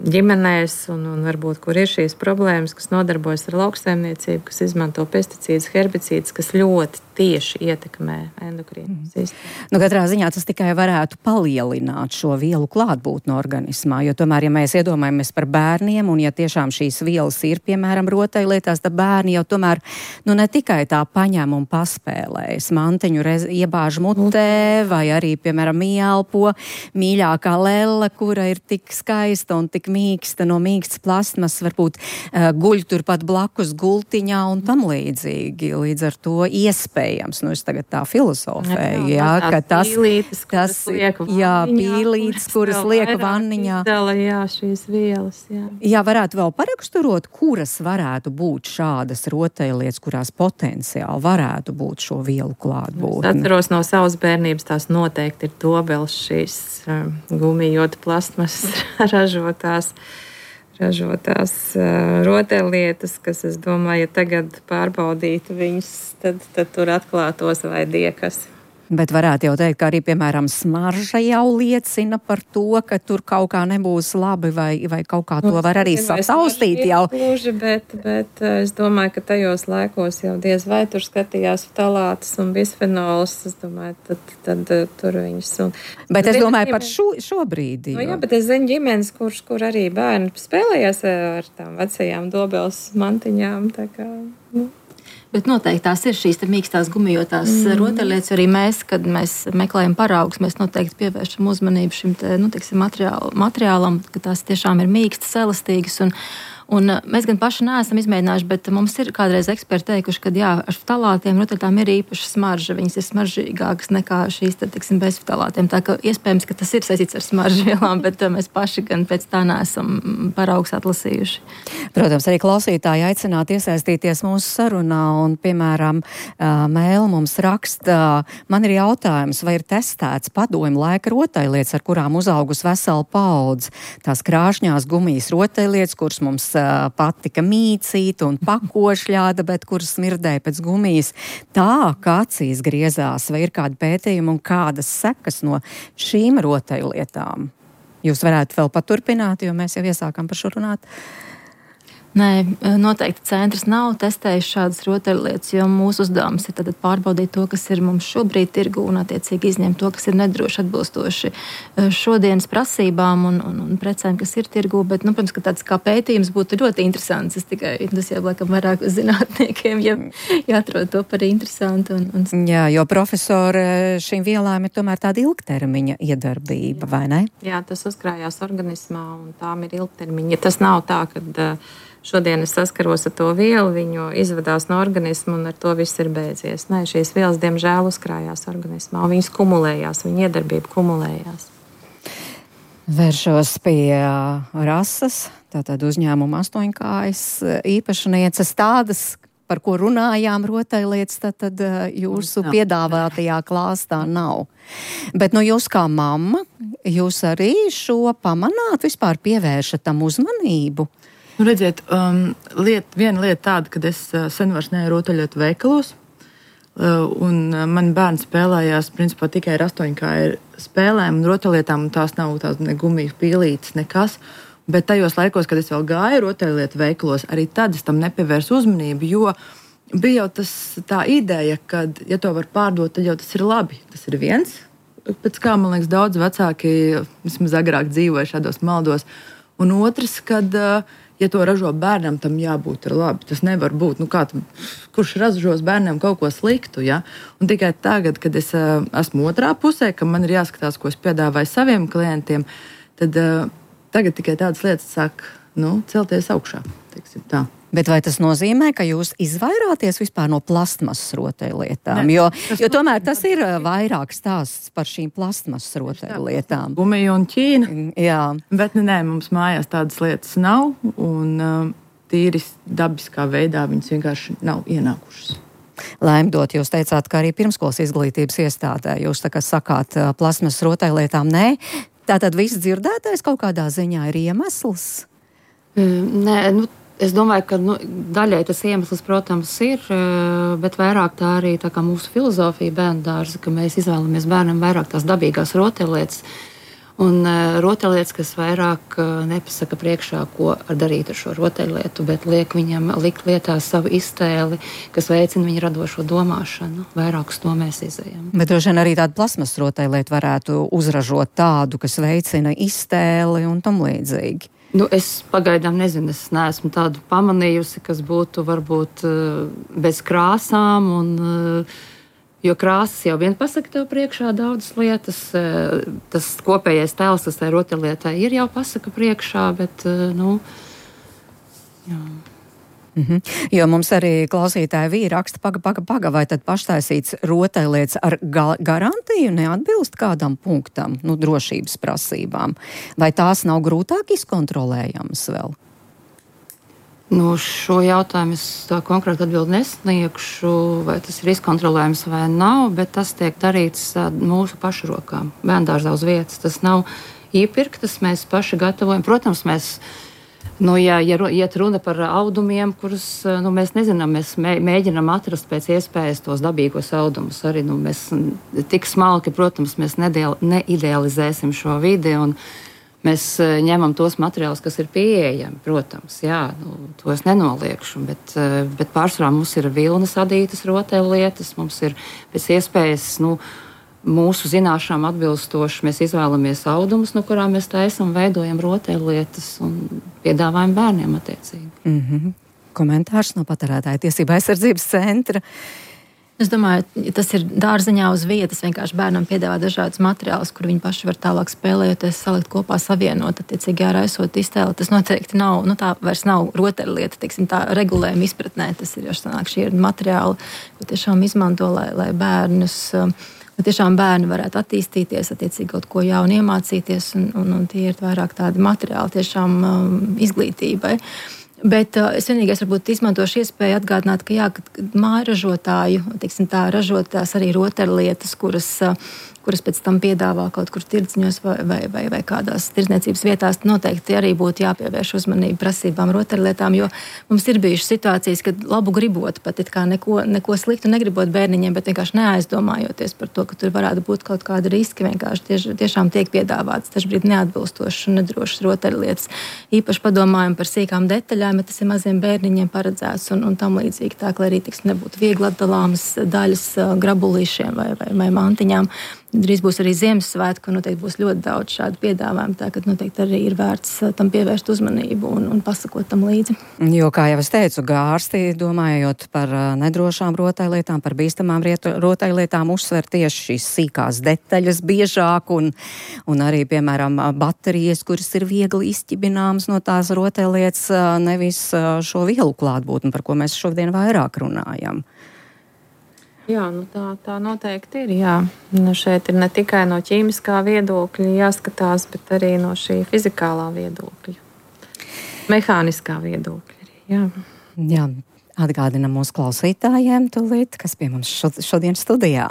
ģimenēs un, un varbūt, kur ir šīs problēmas, kas nodarbojas ar lauksaimniecību, kas izmanto pesticīdus, herbicīdus, kas ļoti tieši ietekmē endokrīnu sistēmu. Nu, katrā ziņā tas tikai varētu palielināt šo vielu klātbūtni organismā, jo tomēr, ja mēs iedomājamies par bērniem, un ja tiešām šīs vielas ir, piemēram, rotaļlietās, tad bērni jau tomēr, nu, ne tikai tā paņem un paspēlējas, mantiņu rez, iebāž mutē, vai arī, piemēram, ieelpo mīļākā lelle, kura ir tik skaista un tik mīksta, no mīkstas plastmas, varbūt uh, guļ turpat blakus gultiņā un tam līdzīgi. Līdz ar to iespēja. Nu, es tagad tā filozofēju, jā, jā, ka tas, pīlītes, tas liek jā, pīlītes, kuras liek vanniņā. Izdala, jā, šīs vielas, jā. Jā, varētu vēl paraksturot, kuras varētu būt šādas rotaļlietas, kurās potenciāli varētu būt šo vielu klātbūtni. Es atceros no savas bērnības, tās noteikti ir dobels šīs um, gumijota plastmas ražotās. ražotās uh, rotaļlietas, kas, es domāju, ja tagad pārbaudītu viņus, tad, tad tur atklātos vai diekas. Bet varētu jau teikt, ka arī, piemēram, smarža jau liecina par to, ka tur kaut kā nebūs labi, vai, vai kaut kā to var arī sataustīt jau. Gluži, bet, bet es domāju, ka tajos laikos jau diez vai tur skatījās ftalātus un bisfenols, es domāju, tad, tad tur viņus. Un, bet es domāju par šo, šobrīd. Nu, jā, bet es zinu ģimenes, kur, kur arī bērni spēlējās ar tām vecajām dobels mantiņām, tā kā, nu. Bet noteikti tās ir šīs mīkstās gumijotās mm. rotaļlietas. Arī mēs, kad mēs meklējam paraugus, mēs noteikti pievēršam uzmanību šim te, nu, teiksim, materiāl, materiālam, ka tās tiešām ir mīkstas, elastīgas. Un, un mēs gan paši neesam izmēģinājuši, bet mums ir kādreiz eksperti teikuši, ka jā, ar ftalātiem rotaļlietām ir īpaša smarža. Viņas ir smaržīgākas nekā šīs, tad, teiksim, bez ftalātiem. Tā ka iespējams, ka tas ir saistīts ar smaržvielām, bet mēs paši gan pēc tā neesam paraugus atlasījuši. Protams, arī klausītāji aicināt iesaistīties mūsu sarunā un, piemēram, mēl mums raksta, man ir jautājums, vai ir testēts padomju laika rotaļlietas, ar kurām uzaugus vesela paudze. Tās krāšņās gumijas rotaļlietas, kuras mums patika mīcīt un pakošļāda, bet kuras smirdēja pēc gumijas tā, ka acīs griezās, vai ir kādi pētījumi un kādas sekas no šīm rotaļlietām. Jūs varētu vēl paturpināt, jo mēs jau iesākam par šo runāt. Nē, noteikti centrs nav testējis šādas rotaļlietas, jo mūsu uzdevums ir tad pārbaudīt to, kas ir mums šobrīd tirgu un attiecīgi izņemt to, kas ir nedroši atbilstoši šodienas prasībām un, un, un precēm, kas ir tirgu. Bet, nu, protams, ka tāds kā pētījums būtu ļoti interesants. Es tikai, tas jau laikam vairāk zinātniekiem, ja jāatrod to par interesantu. Un, un... Jā, jo profesori šīm vielām ir tomēr tāda ilgtermiņa iedarbība, jā. Vai ne? Jā, tas uzkrājās organismā un tām ir ilgtermiņa. Ja tas nav tā, kad šodien es saskaros ar to vielu, viņu izvadās no organisma un ar to viss ir beidzies. Nē, šīs vielas, diemžēl, uzkrājās organismā, un viņas kumulējās, viņa iedarbība kumulējās. Vēršos pie Rasas, tātad uzņēmuma astoņkājas īpašnieces tādas, par ko runājām rotaļlietas, tad, tad jūsu piedāvātajā klāstā nav. Bet nu jūs kā mamma, jūs arī šo pamanāt, vispār pievēršat tam uzmanību? Nu, redziet, um, liet, viena lieta tāda, ka es uh, sen vairs neeju rotaļlietu veikalos, uh, un uh, mani bērni spēlējās principā tikai ar astoņkāju spēlēm un rotaļlietām, un tās nav tās ne gumijas pīlītes, nekas. Bet tajos laikos, kad es vēl gāju rotaļlietu veikalos, arī tad es tam nepievērsu uzmanību, jo bija jau tas, tā ideja, ka, ja to var pārdot, tad jau tas ir labi. Tas ir viens, pēc kā, man liekas, daudz vecāki, vismaz agrāk dzīvoja šādos maldos. Un otrs, kad, ja to ražo bērnam, tam jābūt ir labi. Tas nevar būt, nu kā, kurš ražos bērnam kaut ko sliktu, ja? Un tikai tagad, kad es esmu otrā pusē, ka man ir jāskatās, ko es piedāvāju saviem klientiem, tad tagad tikai tādas lietas sāk, nu, celties augšā, teiksim tā. Bet vai tas nozīmē, ka jūs izvairāties vispār no plastmasas rotaļlietām? Jo, jo tomēr tas ir vairāk stāsts par šīm plastmasas rotaļlietām. Gumija un Ķīna. Jā. Bet nē, mums mājās tādas lietas nav, un um, tīri dabiskā veidā viņas vienkārši nav ienākušas. Laimdot, jūs teicāt, ka arī pirmskolas izglītības iestādē jūs tā kā sakāt plastmasas rotaļlietām nē. Tātad viss dzirdētais kaut kādā ziņā ir iemesls? Mm, nē, nu. Es domāju, ka nu, daļai tas iemesls, protams, ir, bet vairāk tā arī tā kā mūsu filozofija bērnu dārza, ka mēs izvēlamies bērnam vairāk tās dabīgās rotaļlietas. Un rotaļlietas, kas vairāk nepasaka priekšā, ko darīt ar šo rotaļlietu, bet liek viņam likt lietā savu iztēli, kas veicina viņa radošo domāšanu. Vairāk uz to mēs izejam. Bet droši vien arī tādu plasmas rotaļlietu varētu uzražot tādu, kas veicina iztēli un tam līdzīgi. Nu, es pagaidām nezinu, es neesmu tādu pamanījusi, kas būtu varbūt bez krāsām, un, jo krāsas jau vien pasaka tev priekšā daudzas lietas. Tas kopējais tēls, tas tai rotaļlietai ir jau pasaka priekšā, bet, nu, jā. Mhm. Jo mums arī klausītāji vīri raksta, paga, paga, paga, vai tad paštaisīts rotaļlietas ar ga- garantiju neatbilst kādam punktam, nu, drošības prasībām? Vai tās nav grūtāk izkontrolējamas vēl? Nu, šo jautājumu es tā konkrēti atbildi nesniegšu, vai tas ir izkontrolējams vai nav, bet tas tiek darīts mūsu pašu rokām, bērndārzā uz vietas. Tas nav iepirktas, mēs paši gatavojam. Protams, mēs Nu, ja, ja iet runa par audumiem, kurus nu, mēs nezinām, mēs mē, mēģinām atrast pēc iespējas tos dabīgos audumus. Arī nu, mēs tik smalki, protams, mēs nedēl, neidealizēsim šo vidi, un mēs ņemam tos materiālus, kas ir pieejami, protams. Jā, nu, to es nenoliekšu, bet, bet pārsvarā mums ir vilnas adītas rotaļlietas, mums ir pēc iespējas, nu, mūsu zināšanām atbilstoši mēs izvēlamies audumus, no kurām mēs taisam, veidojam rotaļlietas un piedāvājam bērniem attiecīgi. Mm-hmm. Komentārs no Patērētāju tiesību aizsardzības centra. Es domāju, tas ir dārziņā uz vietas. Vienkārši bērnam piedāvā dažādus materiālus, kur viņi paši var tālāk spēlējoties, salikt kopā, savienot, attiecīgi āraisot iztēli. Tas noteikti nav, nu tā vairs nav rotaļlieta, teiksim, tā regulējuma izpratnē. Tas ir jau sanāk, šie ir materiāli, ko tiešām izmanto, lai, lai bērnus, lai tiešām bērni varētu attīstīties, attiecīgi kaut ko jaunu iemācīties, un, un, un tie ir vairāk tādi materiāli tiešām um, izglītībai. Bet uh, es vienīgais varbūt izmantošu iespēju atgādināt, ka jā, kad mājražotāju, teiksim tā, ražotās arī rotaļlietas, kuras, uh, kuras pēc tam piedāvā kaut kur tirdzniņos vai, vai, vai, vai kādās tirdzniecības vietās, noteikti arī būtu jāpievērš uzmanību prasībām rotaļlietām, jo mums ir bijušas situācijas, kad labu gribot, pat it kā neko, neko sliktu negribot bērniņiem, bet vienkārši neaizdomājoties par to, ka tur varētu būt kaut kāda riski, vienkārši tiež, tiešām tiek piedāvāts dažbrīd neatbilstošas un nedrošas rotaļlietas. Īpaši padomājam par sīkām detaļām, bet tas ir maziem bērniņiem paredzēts un, un tam līdzīgi tā, lai arī tiks nebūtu viegli atdalāmas daļas grabulīšiem vai, vai, vai mantiņām. Drīz būs arī Ziemassvētku, un noteikti būs ļoti daudz šādu piedāvājumu, tā ka noteikti arī ir vērts tam pievērst uzmanību un, un pasakot tam līdzi. Jo, kā jau es teicu, gārsti, domājot par nedrošām rotaļlietām, par bīstamām rotaļlietām, uzsver tieši šīs sīkās detaļas biežāk un, un arī, piemēram, baterijas, kuras ir viegli izķibināmas no tās rotaļlietas, nevis šo vielu klātbūtni, par ko mēs šodien vairāk runājam. Jā, nu tā, tā noteikti ir. Jā. Nu šeit ir ne tikai no ķīmiskā viedokļa jāskatās, bet arī no šī fizikālā viedokļa, mehāniskā viedokļa. Jā. Jā, atgādinam mūsu klausītājiem tūlīt, kas pie mums šodien studijā.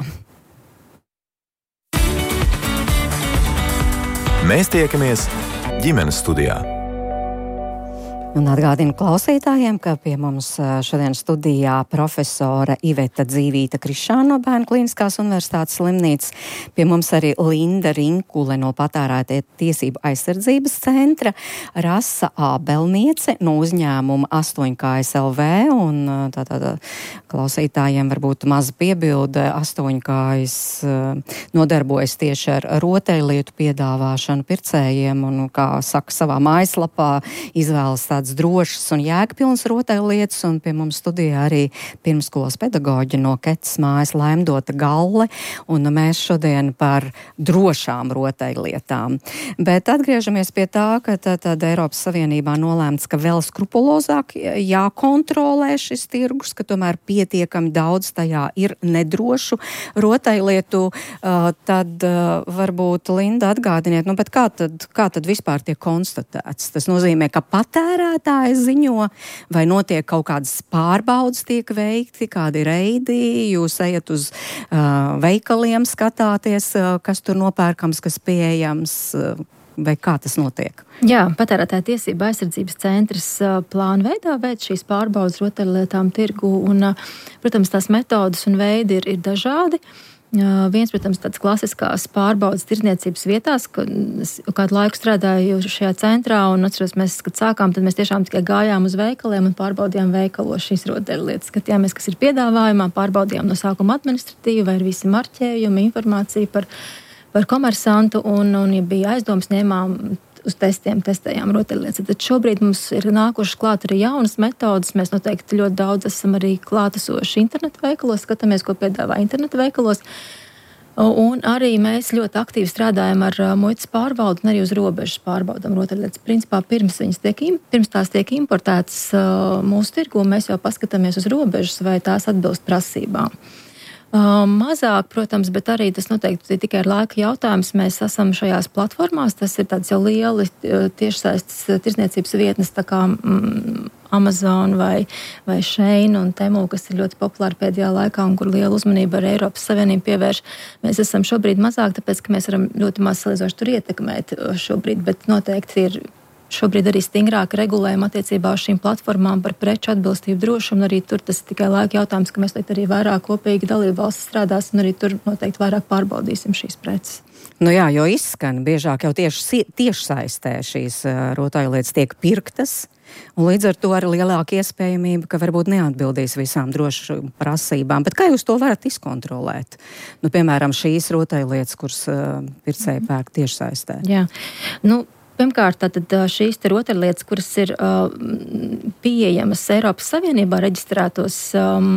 Mēs tiekamies ģimenes studijā. Un atgādinu klausītājiem, ka pie mums šodien studijā profesora Iveta Dzīvīta Krišāna no Bērnu klīniskās universitātes slimnīcas. Pie mums arī Linda Rinkule no Patērētāju tiesību aizsardzības centra, Rasa Ābelniece no uzņēmuma astoņkājas L V. Un tātad klausītājiem varbūt maza piebilde. astoņkājas nodarbojas tieši ar rotaļlietu piedāvāšanu pircējiem un, kā saka savā mājaslapā, izvēlas tā drošas un jēgpilnas rotaļlietas, un pie mums studijā arī pirmskolas pedagoģi no Ketas mājas Laimdota Galle, un mēs šodien par drošām rotaļlietām. Bet atgriežamies pie tā, ka tad Eiropas Savienībā nolēmts, ka vēl skrupulozāk jākontrolē šis tirgus, ka tomēr pietiekami daudz tajā ir nedrošu rotaļlietu, tad varbūt Linda atgādiniet, nu, bet kā tad, kā tad vispār tiek konstatēts? Tas nozīmē, ka patērētāji ziņo, vai notiek kaut kādas pārbaudas tiek veikti, kādi reidi, jūs ejat uz uh, veikaliem, skatāties, uh, kas tur nopērkams, kas pieejams, uh, vai kā tas notiek? Jā, Patērētāju tiesību aizsardzības centrs uh, plāna veidā veic šīs pārbaudas rotaļlietām tirgu, un, uh, protams, tās metodas un veidi ir, ir dažādi. Uh, viens, protams, tāds klasiskās pārbaudas tirdzniecības vietās, ka kādu laiku strādāju šajā centrā, un atceros, mēs, kad sākām, tad mēs tiešām tikai gājām uz veikaliem un pārbaudījām veikalos šīs rotaļlietas. Skatījāmies, kas ir piedāvājumā, pārbaudījām no sākuma administratīvi, vai ir visi marķējumi, informācija par, par komersantu, un, un ja bija aizdoms, ņēmām uz testiem, testējām rotaļlietas. Tad šobrīd mums ir nākušas klāt arī jaunas metodas. Mēs noteikti ļoti daudz esam arī klātesoši internetu veikalos, skatāmies, ko piedāvā internetu veikalos. Un arī mēs ļoti aktīvi strādājam ar muitas pārbaudu un arī uz robežas pārbaudam rotaļlietas. Principā pirms, tiek, pirms tās tiek importētas mūsu tirgu, mēs jau paskatāmies uz robežas, vai tās atbilst prasībām. Uh, mazāk, protams, bet arī tas noteikti tikai ir laika jautājums. Mēs esam šajās platformās, tas ir tāds jau lieli tiešsaistes tirdzniecības vietnes, tā kā mm, Amazon vai, vai Shein un Temu, kas ir ļoti populāri pēdējā laikā un kur liela uzmanība ar Eiropas Savienību pievērš. Mēs esam šobrīd mazāk, tāpēc, ka mēs varam ļoti maz salīdzoši tur ietekmēt šobrīd, bet noteikti ir šobrīd arī stingrāk regulējumi attiecībā uz šīm platformām par preču atbilstību drošumu, un arī tur tas tikai laika jautājums, ka mēs arī vairāk kopīgi dalību valsts strādās, un arī tur noteikti vairāk pārbaudīsim šīs preces. Nu jā, jo izskan biežāk jau tieši tiešsaistē šīs uh, rotaļlietas tiek pirktas, un līdz ar to arī lielāka iespējamība, ka varbūt neatbildīs visām drošu prasībām. Bet kā jūs to varat izkontrolēt? Nu, piemēram, šīs rotaļlietas, kuras uh, pircēji pērk tiešsaistē. Jā, nu, pirmkārt, tātad šīs te rotaļlietas, kuras ir uh, pieejamas Eiropas Savienībā reģistrētos um,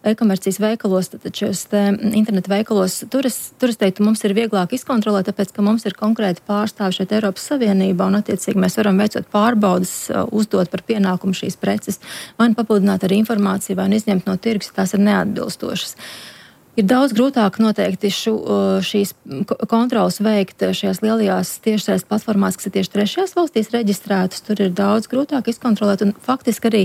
e-komercijas veikalos, tātad šos te internetu veikalos, tur es, tur es teiktu, mums ir vieglāk izkontrolēt, tāpēc, ka mums ir konkrēti pārstāvi šeit Eiropas Savienībā, un attiecīgi mēs varam veicot pārbaudas, uh, uzdot par pienākumu šīs preces, vai nu papildināt ar informāciju, vai nu izņemt no tirgus, ja tās ir neatbilstošas. Ir daudz grūtāk noteikti šu, šīs kontrolas veikt šajās lielajās tiešsaistes platformās, kas ir tieši trešajās valstīs reģistrētas. Tur ir daudz grūtāk izkontrolēt, un faktiski arī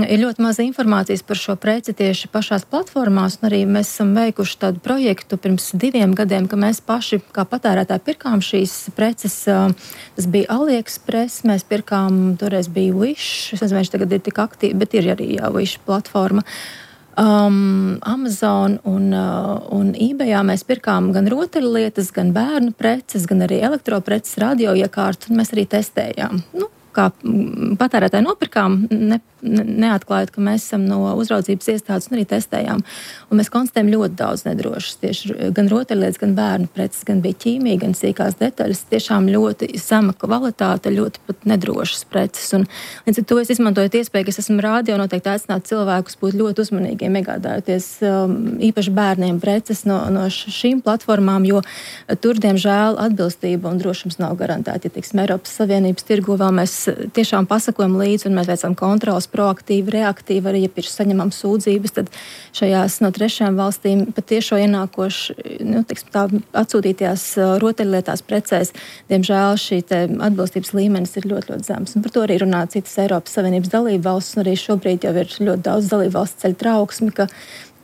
ir ļoti maza informācijas par šo preci tieši pašās platformās, un arī mēs esam veikuši tādu projektu pirms diviem gadiem, ka mēs paši kā patērētāji pirkām šīs preces. Tas bija AliExpress, mēs pirkām, toreiz bija Wish, es nezinu, viņš tagad ir tik aktīvi, bet ir arī jā, Wish platforma. Um, Amazon un, uh, un eBayā mēs pirkām gan rotaļlietas, gan bērnu preces, gan arī elektropreces, radioiekārtu, un mēs arī testējām. Nu, kā patērētāji nopirkām, ne, ne, neatklājot, ka mēs esam no uzraudzības iestādes un arī testējām. Un mēs konstatējam ļoti daudz nedrošas, tieši gan rotaļlietas, gan bērnu preces, gan bija ķīmija, gan sīkās detaļas, tiešām ļoti zema kvalitāte, ļoti pat nedrošas preces. Un līdz ar to es izmantojot iespēju, ka es esmu rādio, noteikti aicināt cilvēkus būt ļoti uzmanīgiem, iegādājoties um, īpaši bērniem preces no, no šīm platformām, jo tur, diemžēl, atbilstība un drošums nav garantēta. Ja, teiksim, Eiropas Savienības tirgu vēl mēs tiešām pasakojam līdzi un mēs veicam kontrolas proaktīvi, reaktīvi, arī, ja pirms saņemam sūdzības, tad šajās no trešajām valstīm pat tiešo ienākoši, nu, teiksim, tā atsūtītajās rotaļlietās precēs, diemžēl šī te atbilstības līmenis ir ļoti, ļoti zems. Un par to arī runā citas Eiropas Savienības dalību valsts, un arī šobrīd jau ir ļoti daudz dalību valsts ceļ trauksmi, ka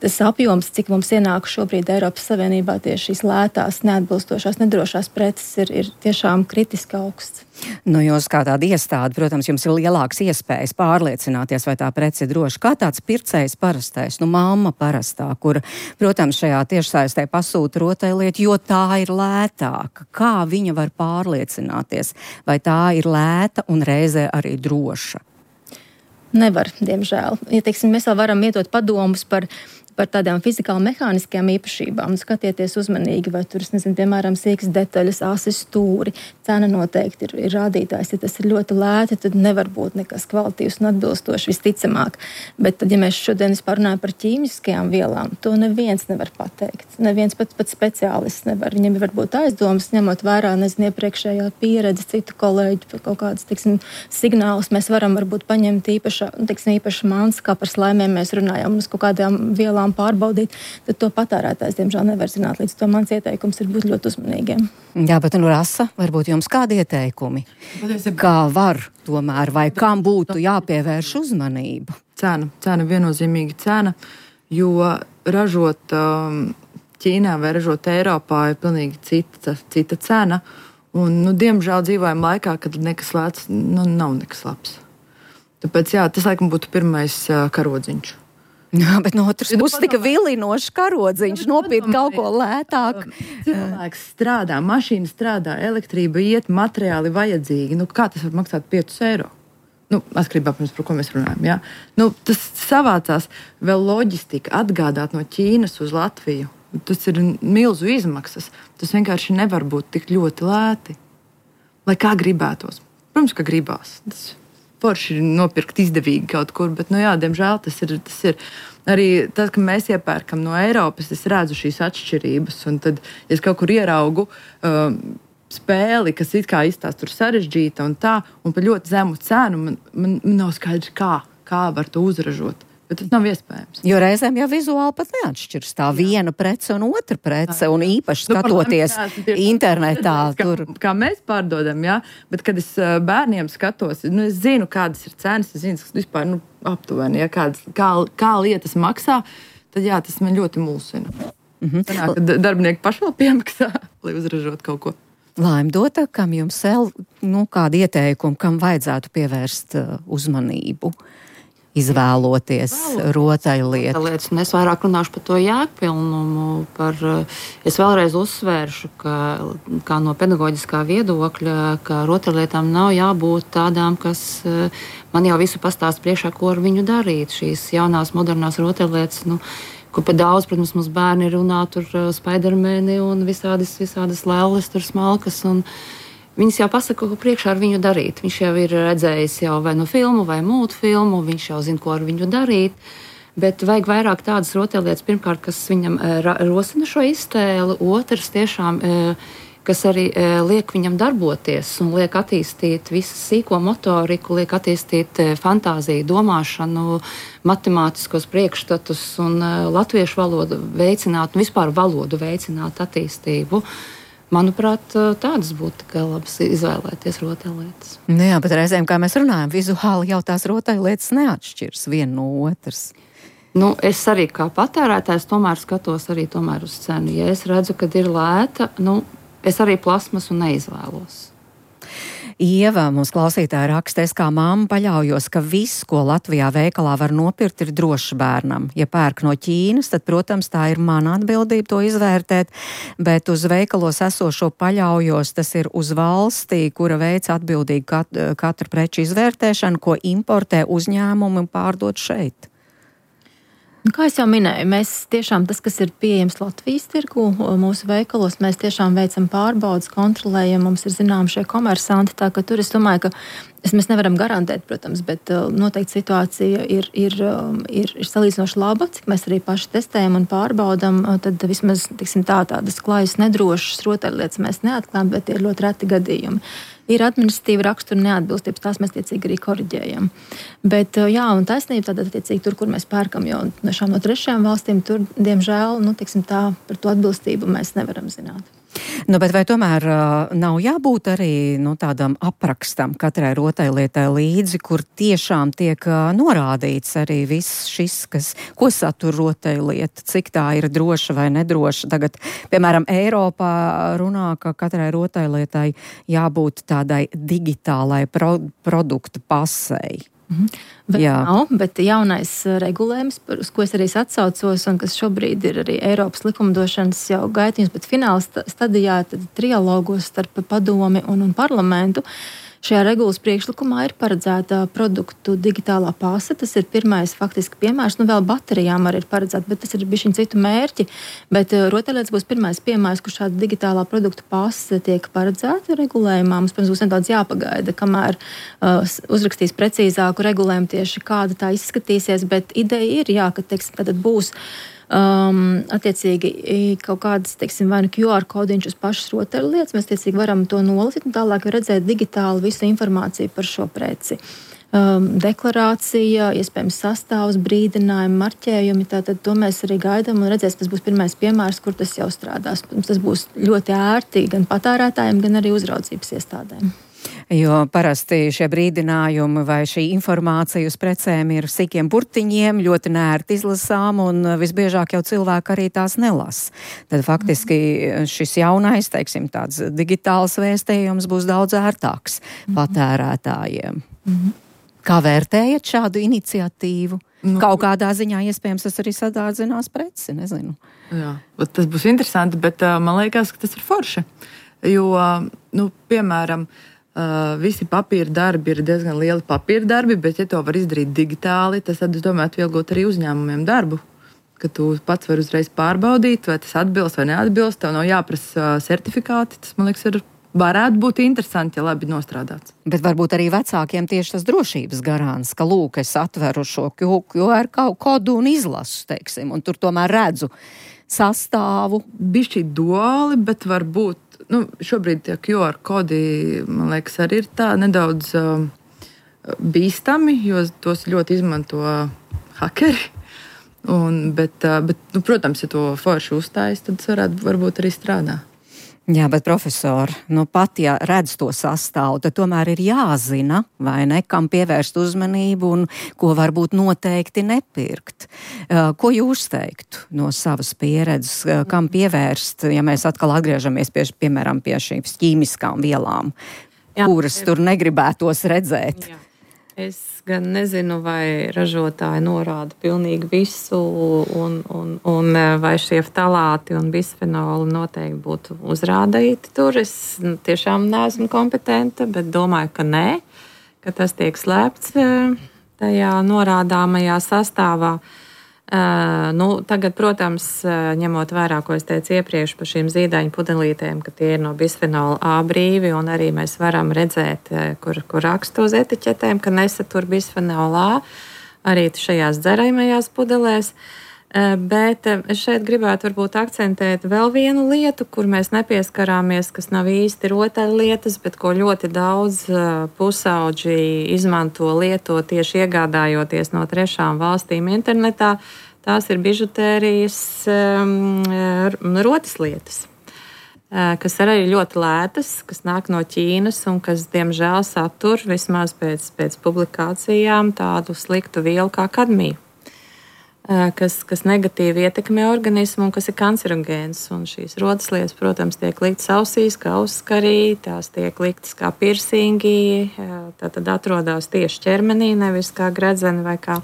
tas apjoms, cik mums ienāk šobrīd Eiropas Savienībā tieši šīs lētās, neatbilstošās, nedrošās preces, ir, ir tiešām kritiski augsts. Nu, jūs kā tāda iestāde, protams, jums ir lielāks iespējas pārliecināties, vai tā prece ir droša. Kā tāds pircējs parastais, nu, mamma parastā, kur, protams, šajā tiešsaistē pasūta rotaļlietu, jo tā ir lētāka. Kā viņa var pārliecināties, vai tā ir lēta un reizē arī droša? Nevar, diemžēl. Ja, teiksim, mēs vēl varam ietot padomus par par tādām fizikāli mehāniskajām īpašībām. Skatieties uzmanīgi, vai tur, es nezinu, piemēram, sīkas detaļas, asis stūri. Cena noteikti ir, ir rādītājs. Ja tas ir ļoti lēti, tad nevar būt nekas kvalitīvs un atbilstošs visticamāk. Bet tad, ja mēs šodien runājam par ķīmiskajām vielām, to neviens nevar pateikt. Neviens pat, pat speciālists nevar. Viņam var būt aizdomas, ņemot vērā, nezinu, iepriekšējā pieredze, citu kolēģu, kaut kādas, teiksim, signālus. Mēs varam varbūt paņemt īpaša, teiksim, īpaša mans, kā par slaimiem mēs runājam, uz kaut kādām vielām pārbaudīt, tad to patērētājs, diemžēl, nevar zināt. Līdz to mans ieteikums ir būt ļoti uzmanīgiem. Jā, bet, nu, Rasa, varbūt jums kādi ieteikumi? Kā var tomēr, vai kam būtu jāpievērš uzmanība? Cena, cena, viennozīmīgi cena, jo ražot Ķīnā vai ražot Eiropā ir pilnīgi cita, cita cena, un, nu, diemžēl dzīvojam laikā, kad nekas lēts, nu, nav nekas labs. Tāpēc, jā, tas, laikam, būtu pirmais karodziņš. Jā, bet no otras puses tika vilinošs karodziņš, nopirkt kaut ko lētāk. Cilvēks strādā, mašīna strādā, elektrība iet, materiāli vajadzīgi. Nu, kā tas var maksāt piecus eiro? Nu, atkarībā, protams, par ko mēs runājam. Jā? Nu, tas savācās vēl loģistika, atgādāt no Ķīnas uz Latviju. Tas ir milzu izmaksas. Tas vienkārši nevar būt tik ļoti lēti. Lai kā gribētos. Protams, ka gribās. Tas forši nopirkt izdevīgi kaut kur, bet, nu jā, diemžēl tas ir, tas ir arī tas, ka mēs iepērkam no Eiropas, es redzu šīs atšķirības, un tad, ja es kaut kur ieraugu uh, spēli, kas it kā izstāst tur sarežģīta un tā, un par ļoti zemu cenu, man, man, man nav skaidrs, kā, kā var to uzražot. Bet tas nav iespējams. Jo reizēm jau vizuāli pat neatšķirs tā viena prece un otra prece, un īpaši skatoties nu, internetā. Kā, tur. kā mēs pārdodam, jā, bet kad es bērniem skatos, nu, es zinu, kādas ir cenas, es zinu, kas vispār nu, aptuveni, ja, kādas, kā, kā lietas maksā, tad jā, tas man ļoti mulsina. Mhm. Sanāk, kad darbinieki paši vēl piemaksā, lai uzražot kaut ko. Laimdota, kam jums vēl, nu, kādi ieteikumi, kam vajadzētu pievērst uh, uzmanību? Izvēloties rotaļlietu. Es vairāk runāšu par to jēgpilnumu. Par, es vēlreiz uzsvēršu, ka kā no pedagoģiskā viedokļa, ka rotaļlietām nav jābūt tādām, kas man jau visu pastāst priekšā, ko ar viņu darīt. Šīs jaunās, modernās rotaļlietas, nu, kur pa daudz, protams, mums bērni runā tur Spidermani un visādas, visādas lēles, tur smalkas un viņas jau pasaka, ko priekšā ar viņu darīt. Viņš jau ir redzējis jau vai no filmu, vai mūtu filmu, viņš jau zina, ko ar viņu darīt. Bet vajag vairāk tādas rotaļlietas, pirmkārt, kas viņam ra- rosina šo iztēli, otrs tiešām, kas arī liek viņam darboties un liek attīstīt visu sīko motoriku, liek attīstīt fantāziju, domāšanu, matemātiskos priekšstatus un latviešu valodu veicināt, un vispār valodu veicināt attīstību. Manuprāt, tādas būtu tikai labas izvēlēties rotaļlietas. Nu jā, bet reizēm, kā mēs runājam, vizuāli jau tās rotaļlietas neatšķirs viena no otras. Nu, es arī kā patērētājs tomēr skatos arī tomēr uz cenu. Ja es redzu, ka ir lēta, nu, es arī plasmasu neizvēlos. Ieva, mums klausītāja raksta, es kā mamma paļaujos, ka viss, ko Latvijā veikalā var nopirkt, ir drošs bērnam. Ja pērk no Ķīnas, tad, protams, tā ir mana atbildība to izvērtēt, bet uz veikalos esošo paļaujos, tas ir uz valstī, kura veic atbildīgi kat, katru preču izvērtēšanu, ko importē uzņēmumi un pārdod šeit. Kā es jau minēju, mēs tiešām tas, kas ir pieejams Latvijas tirgu, mūsu veikalos, mēs tiešām veicam pārbaudas, kontrolējam, mums ir zinām šie komersanti, tā ka tur es domāju, ka es, mēs nevaram garantēt, protams, bet noteikti situācija ir, ir, ir, ir salīdzinoši laba, cik mēs arī paši testējam un pārbaudam, tad vismaz, tiksim tā, tādas klājas nedrošas rotaļlietas mēs neatklājam, bet ir ļoti reti gadījumi. Ir administratīva rakstura neatbilstības, tās mēs tiecīgi arī koriģējam. Bet, jā, un taisnība tātad tiecīgi tur, kur mēs pērkam jau no trešajām valstīm, tur, diemžēl, nu, tiksim tā, par to atbilstību mēs nevaram zināt. Nu, bet vai tomēr uh, nav jābūt arī nu, tādam aprakstam katrai rotaļlietai līdzi, kur tiešām tiek uh, norādīts arī viss šis, kas, ko satur rotaļlieta, cik tā ir droša vai nedroša. Tagad, piemēram, Eiropā runā, ka katrai rotaļlietai jābūt tādai digitālai pro, produktu pasei. Mhm. Bet nav, bet jaunais regulējums, uz ko es arī atsaucos, un kas šobrīd ir arī Eiropas likumdošanas jau gaitījums, bet fināla stadijā, tad trialogos starp padomi un, un parlamentu. Šajā regulas priekšlikumā ir paredzēta produktu digitālā pase. Tas ir pirmais faktiski piemērs. Nu, vēl baterijām arī ir paredzēta, bet tas ir bišķiņ citu mērķi. Bet rotaļlietas būs pirmais piemērs, kur šāda digitālā produktu pase tiek paredzēta regulējumā. Mums, protams, būs nedaudz jāpagaida, kamēr uh, uzrakstīs precīzāku regulējumu tieši kāda tā izskatīsies, bet ideja ir, jā, ka, teiksim, tad būs Um, attiecīgi kaut kādas, teiksim, vai nu Q R kodiņš uz pašas rotaļlietas, mēs attiecīgi varam to nolasīt un tālāk redzēt digitāli visu informāciju par šo preci. Um, deklarācija, iespējams sastāvs, brīdinājumi, marķējumi, tātad to mēs arī gaidām un redzēsim, tas būs pirmais piemērs, kur tas jau strādās. Tas būs ļoti ērti gan patērētājiem, gan arī uzraudzības iestādēm. Jo parasti šie brīdinājumi vai šī informācija uz precēm ir sīkiem burtiņiem, ļoti nērti izlasām un visbiežāk jau cilvēki arī tās nelasa. Tad faktiski šis jaunais, teiksim, tāds digitāls vēstījums būs daudz ērtāks patērētājiem. Mm-hmm. Kā vērtējat šādu iniciatīvu? Nu, Kaut kādā ziņā iespējams tas arī sadārdzinās preci, nezinu. Jā, tas būs interesanti, bet man liekas, ka tas ir forši. Jo, nu, piemēram, Uh, visi papīra darbi ir diezgan lieli papīra darbi, bet, ja to var izdarīt digitāli, tas, tad, es domāju, atvieglot arī uzņēmumiem darbu. Ka tu pats vari uzreiz pārbaudīt, vai tas atbilst vai neatbilst. Tev nav jāprasa uh, certifikāti. Tas, man liekas, ir, varētu būt interesanti, ja labi nostrādāts. Bet varbūt arī vecākiem tieši tas drošības garants, ka, lūk, es atveru šo Q R kodu un izlasu, teiksim, un tur tomēr redzu sastāvu. Bišķi duāli, bet varbūt. Nu, šobrīd tie Q R kodi, man liekas, arī ir tā nedaudz uh, bīstami, jo tos ļoti izmanto hakeri. Un, bet, uh, bet nu, protams, ja to forši uzstājas, tad tas varētu varbūt arī strādā. Jā, bet profesori, nu pat ja redz to sastāvu, tad tomēr ir jāzina, vai ne, kam pievērst uzmanību un ko varbūt noteikti nepirkt. Uh, ko jūs teiktu no savas pieredzes, uh, kam pievērst, ja mēs atkal atgriežamies pie, piemēram, pie šīm ķīmiskām vielām, jā, kuras tur negribētos redzēt? Jā. Es gan nezinu, vai ražotāji norāda pilnīgi visu, un, un, un vai šie ftalāti un bisfenoli noteikti būtu uzrādīti tur. Es tiešām neesmu kompetenta, bet domāju, ka nē, ka tas tiek slēpts tajā norādāmajā sastāvā. Uh, nu, tagad, protams, ņemot vērā, ko es teicu iepriekš par šīm zīdaiņu pudelītēm, ka tie ir no bisfenola A brīvi, un arī mēs varam redzēt, kur, kur raksta uz etiķetēm, ka nesatur bisfenola A, arī šajās dzeraimajās pudelēs. Uh, bet es šeit gribētu varbūt akcentēt vēl vienu lietu, kur mēs nepieskarāmies, kas nav īsti rotaļlietas, bet ko ļoti daudz uh, pusauģi izmanto, lieto tieši iegādājoties no trešām valstīm internetā. Tās ir bižutērijas um, rotaslietas, uh, kas arī ir ļoti lētas, kas nāk no Ķīnas un kas, diemžēl, satur vismaz pēc, pēc publikācijām tādu sliktu vielu kā kadmiju. Kas, kas negatīvi ietekmē organismu un kas ir kancerogēns. Un šīs rotaslietas, protams, tiek liktas ausīs, kā uzskarī, tās tiek liktas kā pirsingi, tātad atrodas tieši ķermenī, nevis kā gredzeni vai kā,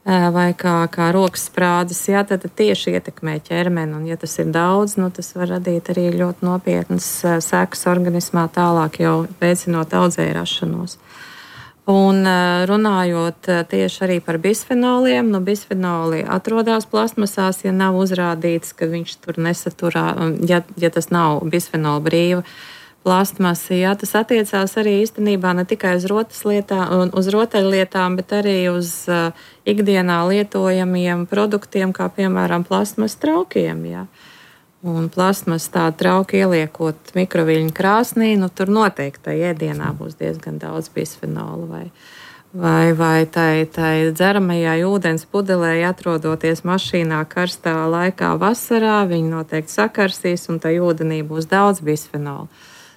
vai kā, kā rokas sprādzes. Jā, tad tieši ietekmē ķermeni, un ja tas ir daudz, nu, tas var radīt arī ļoti nopietnas sekas organismā, tālāk jau veicinot audzēju rašanos. Un runājot tieši arī par bisfenoliem, nu bisfenoli atrodas plasmasās, ja nav uzrādīts, ka viņš tur nesaturā, ja, ja tas nav bisfenola brīva plastmasa, jā, tas attiecās arī īstenībā ne tikai uz rotaslietām, uz rotaļlietām, bet arī uz uh, ikdienā lietojamiem produktiem, kā piemēram plastmas traukiem, jā. Un plasmas tādu trauku ieliekot mikroviļņu krāsnī, nu tur noteikti tā ēdienā būs diezgan daudz bisfenolu vai, vai, vai tai, tai dzeramajai ūdens pudelē, atrodoties mašīnā karstā laikā vasarā, viņi noteikti sakarsīs un tai ūdenī būs daudz bisfenola.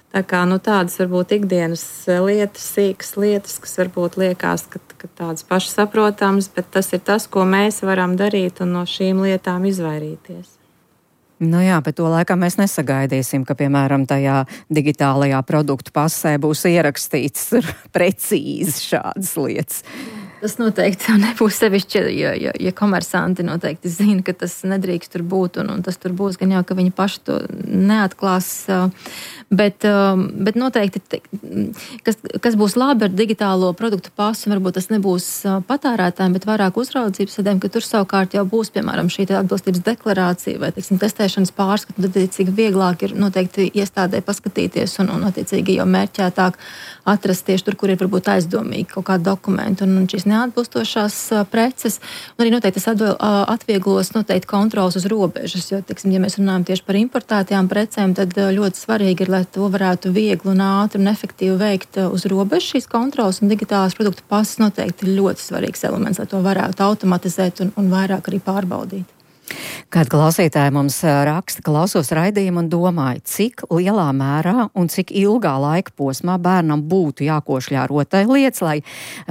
Tā kā nu, tādas varbūt ikdienas lietas, sīkas lietas, kas varbūt liekas, ka, ka tādas pašas saprotamas, bet tas ir tas, ko mēs varam darīt un no šīm lietām izvairīties. Nu jā, bet to laikā mēs nesagaidīsim, ka, piemēram, tajā digitālajā produktu pasē būs ierakstīts precīzi šādas lietas. Tas noteikti nebūs sevišķi, ja, ja, ja komersanti noteikti zina, ka tas nedrīkst tur būt, un, un tas tur būs, gan jau, ka viņi paši to neatklās. Bet, bet noteikti, kas, kas būs labi ar digitālo produktu pasu, varbūt tas nebūs patērētājiem, bet vairāk uzraudzības sadēm, ka tur savukārt jau būs, piemēram, šī atbilstības deklarācija vai, teiksim, testēšanas pārskatu, tad, attiecīgi, vieglāk ir noteikti iestādē paskatīties un, un attiecīgi, jau mērķētāk atrast tieši tur, kur ir varbūt aizdomīgi kaut kādi dokumenti un, un šīs neatbilstošās preces. Un arī noteikti tas atvieglos noteikti kontrols uz robežas, jo, teiksim, ja mēs runājam tieši par importētajām precēm, tad ļoti svarīgi ir, lai to varētu viegli un ātri un efektīvi veikt uz robežas šīs kontrols, un digitālās produktu pasas noteikti ir ļoti svarīgs elements, lai to varētu automatizēt un, un vairāk arī pārbaudīt. Kāda klausītāja mums raksta, klausos raidījumu un domāju, cik lielā mērā un cik ilgā laika posmā bērnam būtu jākošļā rotaļlietas, lai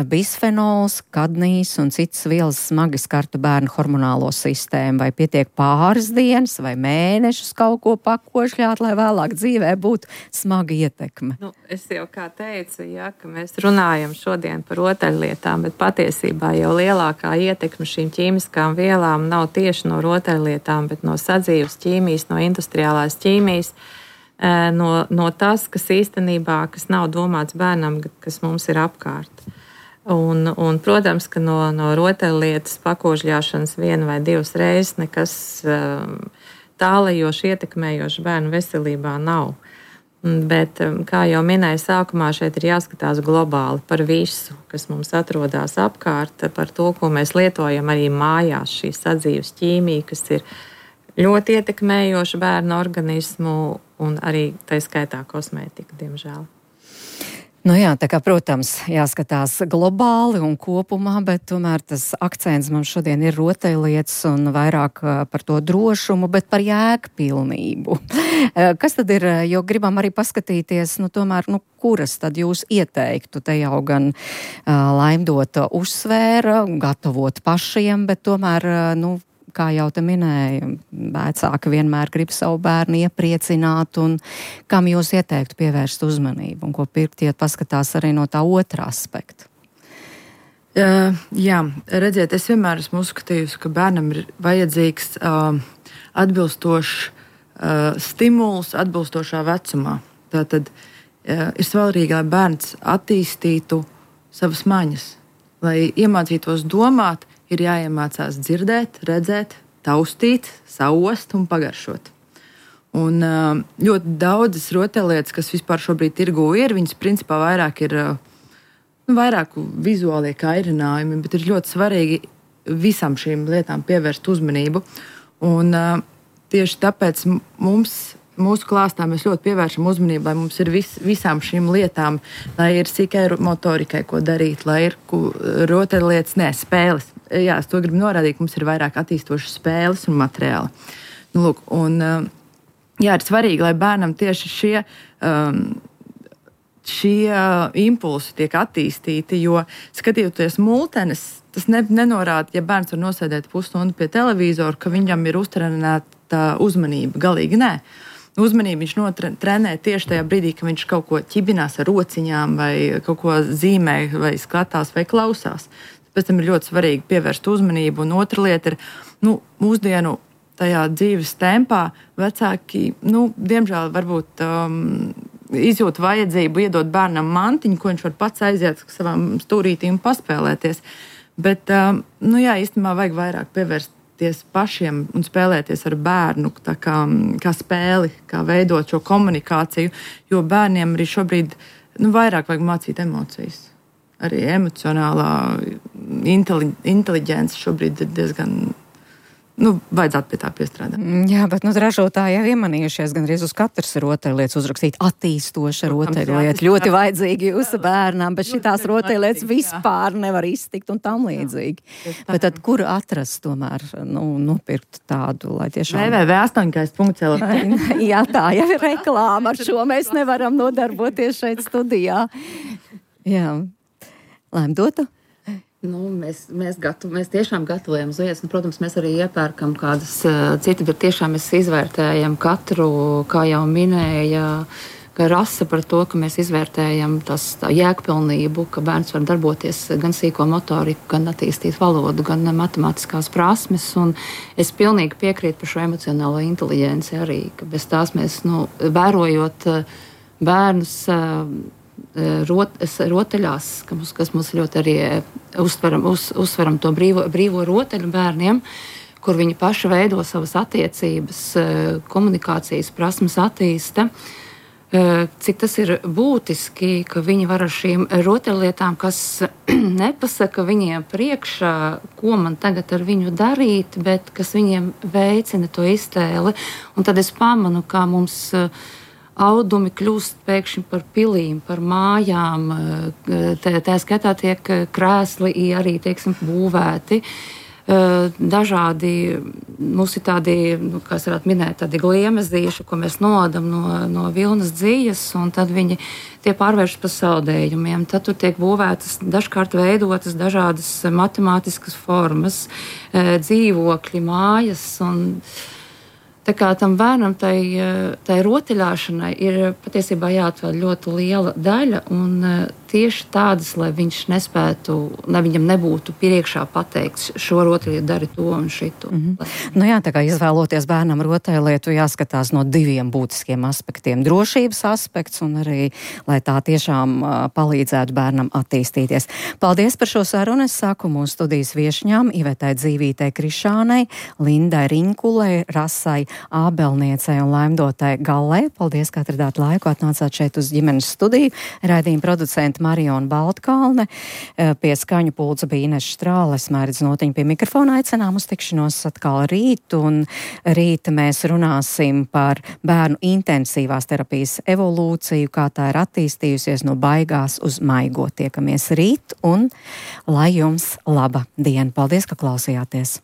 bisfenols, kadmijs un citas vielas smagi skartu bērnu hormonālo sistēmu, vai pietiek pāris dienas vai mēnešus kaut ko pakošļāt, lai vēlāk dzīvē būtu smaga ietekme. Nu, es jau kā teicu, ja, ka mēs runājam šodien par rotaļlietām, bet patiesībā jau lielākā ietekme šīm ķīmiskām vielām nav tieši no rotaļlietām, bet no sadzīves ķīmijas, no industriālās ķīmijas, no, no tas, kas īstenībā, kas nav domāts bērnam, kas mums ir apkārt. Un, un protams, ka no, no rotaļlietas pakožļāšanas vienu vai divas reizes nekas tālajoši ietekmējoši bērnu veselībā nav. Bet, kā jau minēju sākumā, šeit ir jāskatās globāli par visu, kas mums atrodas apkārt, par to, ko mēs lietojam arī mājās, šī sadzīves ķīmija, kas ir ļoti ietekmējoša bērnu organismu un arī tā skaitā kosmētika, diemžēl. Nu jā, tā kā, protams, jāskatās globāli un kopumā, bet tomēr tas akcents mums šodien ir rotaļlietas un vairāk par to drošumu, bet par jēgpilnību. Kas tad ir, jo gribam arī paskatīties, nu tomēr, nu kuras tad jūs ieteiktu, te jau gan uh, Laimdota uzsvēra, gatavot pašiem, bet tomēr, nu, kā jau te minēja, vecāki vienmēr grib savu bērnu iepriecināt, un kam jūs ieteiktu pievērst uzmanību, un ko pirktiet paskatās arī no tā otra aspekta? Uh, jā, redziet, es vienmēr esmu uzskatījusi, ka bērnam ir vajadzīgs uh, atbilstošs uh, stimuls atbilstošā vecumā. Tātad uh, ir svarīgi, lai bērns attīstītu savas maņas, lai iemācītos domāt, ir jāiemācās dzirdēt, redzēt, taustīt, saost un pagaršot. Un ļoti daudzas rotaļlietas, kas vispār šobrīd tirgū ir, viņas principā vairāk ir nu, vairāk vizuālie kairinājumi, bet ir ļoti svarīgi visam šīm lietām pievērst uzmanību. Un tieši tāpēc mums, mūsu klāstā mēs ļoti pievēršam uzmanību, lai mums ir vis, visām šīm lietām, lai ir sīkai motorikai, ko darīt, lai ir rotaļlietas, ne, spēles. Jā, es to gribu norādīt, ka mums ir vairāk attīstošas spēles un materiāli. Nu, lūk, un, jā, ir svarīgi, lai bērnam tieši šie, šie impulsi tiek attīstīti, jo skatījoties multenes, tas ne, nenorāda, ja bērns var nosēdēt pusstundu pie televizora, ka viņam ir uztrenēta uzmanība. Galīgi nē. Uzmanību viņš notrenē tieši tajā brīdī, kad viņš kaut ko ķibinās ar rociņām vai kaut ko zīmē vai skatās vai klausās. Pēc tam ir ļoti svarīgi pievērst uzmanību. Un otra lieta ir, nu, mūsdienu tajā dzīves tempā vecāki, nu, diemžēl varbūt um, izjūt vajadzību iedot bērnam mantiņu, ko viņš var pats aiziet savām stūrītīm un paspēlēties. Bet, um, nu jā, īstenībā vajag vairāk pievērsties pašiem un spēlēties ar bērnu, tā kā, kā spēli, kā veidot šo komunikāciju, jo bērniem arī šobrīd, nu, vairāk vajag mācīt emocijas. Arī emocionālā inteli- inteliģence šobrīd ir diezgan nu, vajadzētu pie tā piestrādāt. Jā, bet nu, ražotāji jau iemanījušies gandrīz uz katras rotaļlietas uzrakstīt attīstoša rotaļlieta. Ļoti vajadzīgi jūsu bērnām, bet šitās rotaļlietas vispār nevar iztikt un tam līdzīgi. Jā, bet tad kur atrast tomēr, nu, nopirkt tādu, lai tiešām... w w w astoņkais punkts l f. Jā, tā jau ir reklāma, ar šo mēs nevaram nodarboties šeit studijā. Jā. Laim dotu? Nu, mēs, mēs, gatav, mēs tiešām gatavojam zviedus. Nu, protams, mēs arī iepērkam kādas uh, citas, bet tiešām mēs izvērtējam katru, kā jau minēja, ka rasa par to, ka mēs izvērtējam tas jēgpilnību, ka bērns var darboties gan sīko motoriku, gan attīstīt valodu, gan matemātiskās prasmes. Un es pilnīgi piekrītu par šo emocionālo inteliģenci arī, ka bez tās mēs, nu, vērojot uh, bērnus, uh, Rot, rotaļās, kas, kas mums ļoti arī uztveram, uz, uzsveram to brīvo, brīvo rotaļu bērniem, kur viņi paši veido savas attiecības, komunikācijas prasmes attīsta. Cik tas ir būtiski, ka viņi var ar šīm rotaļlietām, kas nepasaka viņiem priekšā, ko man tagad ar viņu darīt, bet kas viņiem veicina to iztēli. Un tad es pamanu, kā mums audumi kļūst pēkšņi par pilīm, par mājām, tā, tā skatā tiek krēsli arī, teiksim, būvēti. Dažādi, mums ir tādi, nu, kā es varētu minēt, tādi gliemezdīši, ko mēs nodam no, no vilnas dzīves, un tad viņi tie pārvēršas par saldējumiem. Tad tur tiek būvētas, dažkārt veidotas dažādas matemātiskas formas, dzīvokļi, mājas, un tā kā tam bērnam tai, tai rotaļāšanai ir patiesībā jāatvēl ļoti liela daļa, un tieši tādas, lai viņš nespētu, lai viņam nebūtu priekšā pateikts, šo rotaļlietu dari to un šito. Mm-hmm. Nu jā, tā kā izvēloties bērnam rotaļlietu, jāskatās no diviem būtiskiem aspektiem. Drošības aspekts un arī, lai tā tiešām uh, palīdzētu bērnam attīstīties. Paldies par šo sarunu. Es saku mūsu studijas viešņām Ivetai Dzīvītei Krišānei, Lindai Riņkulei, Rasai Ābelniecei un Laimdotai Gallei. Paldies, ka atradāt laiku, atnācāt šeit uz ģimenes studiju. Raidījuma producenta Mariona Baltkalne, pie skaņu pulca bija Ines Štrāle, es Mairidz Notiņa pie mikrofona, aicinām uz tikšanos atkal rīt, un rīt mēs runāsim par bērnu intensīvās terapijas evolūciju, kā tā ir attīstījusies no baigās uz maigo. Tiekamies rīt, un lai jums laba diena. Paldies, ka klausījāties!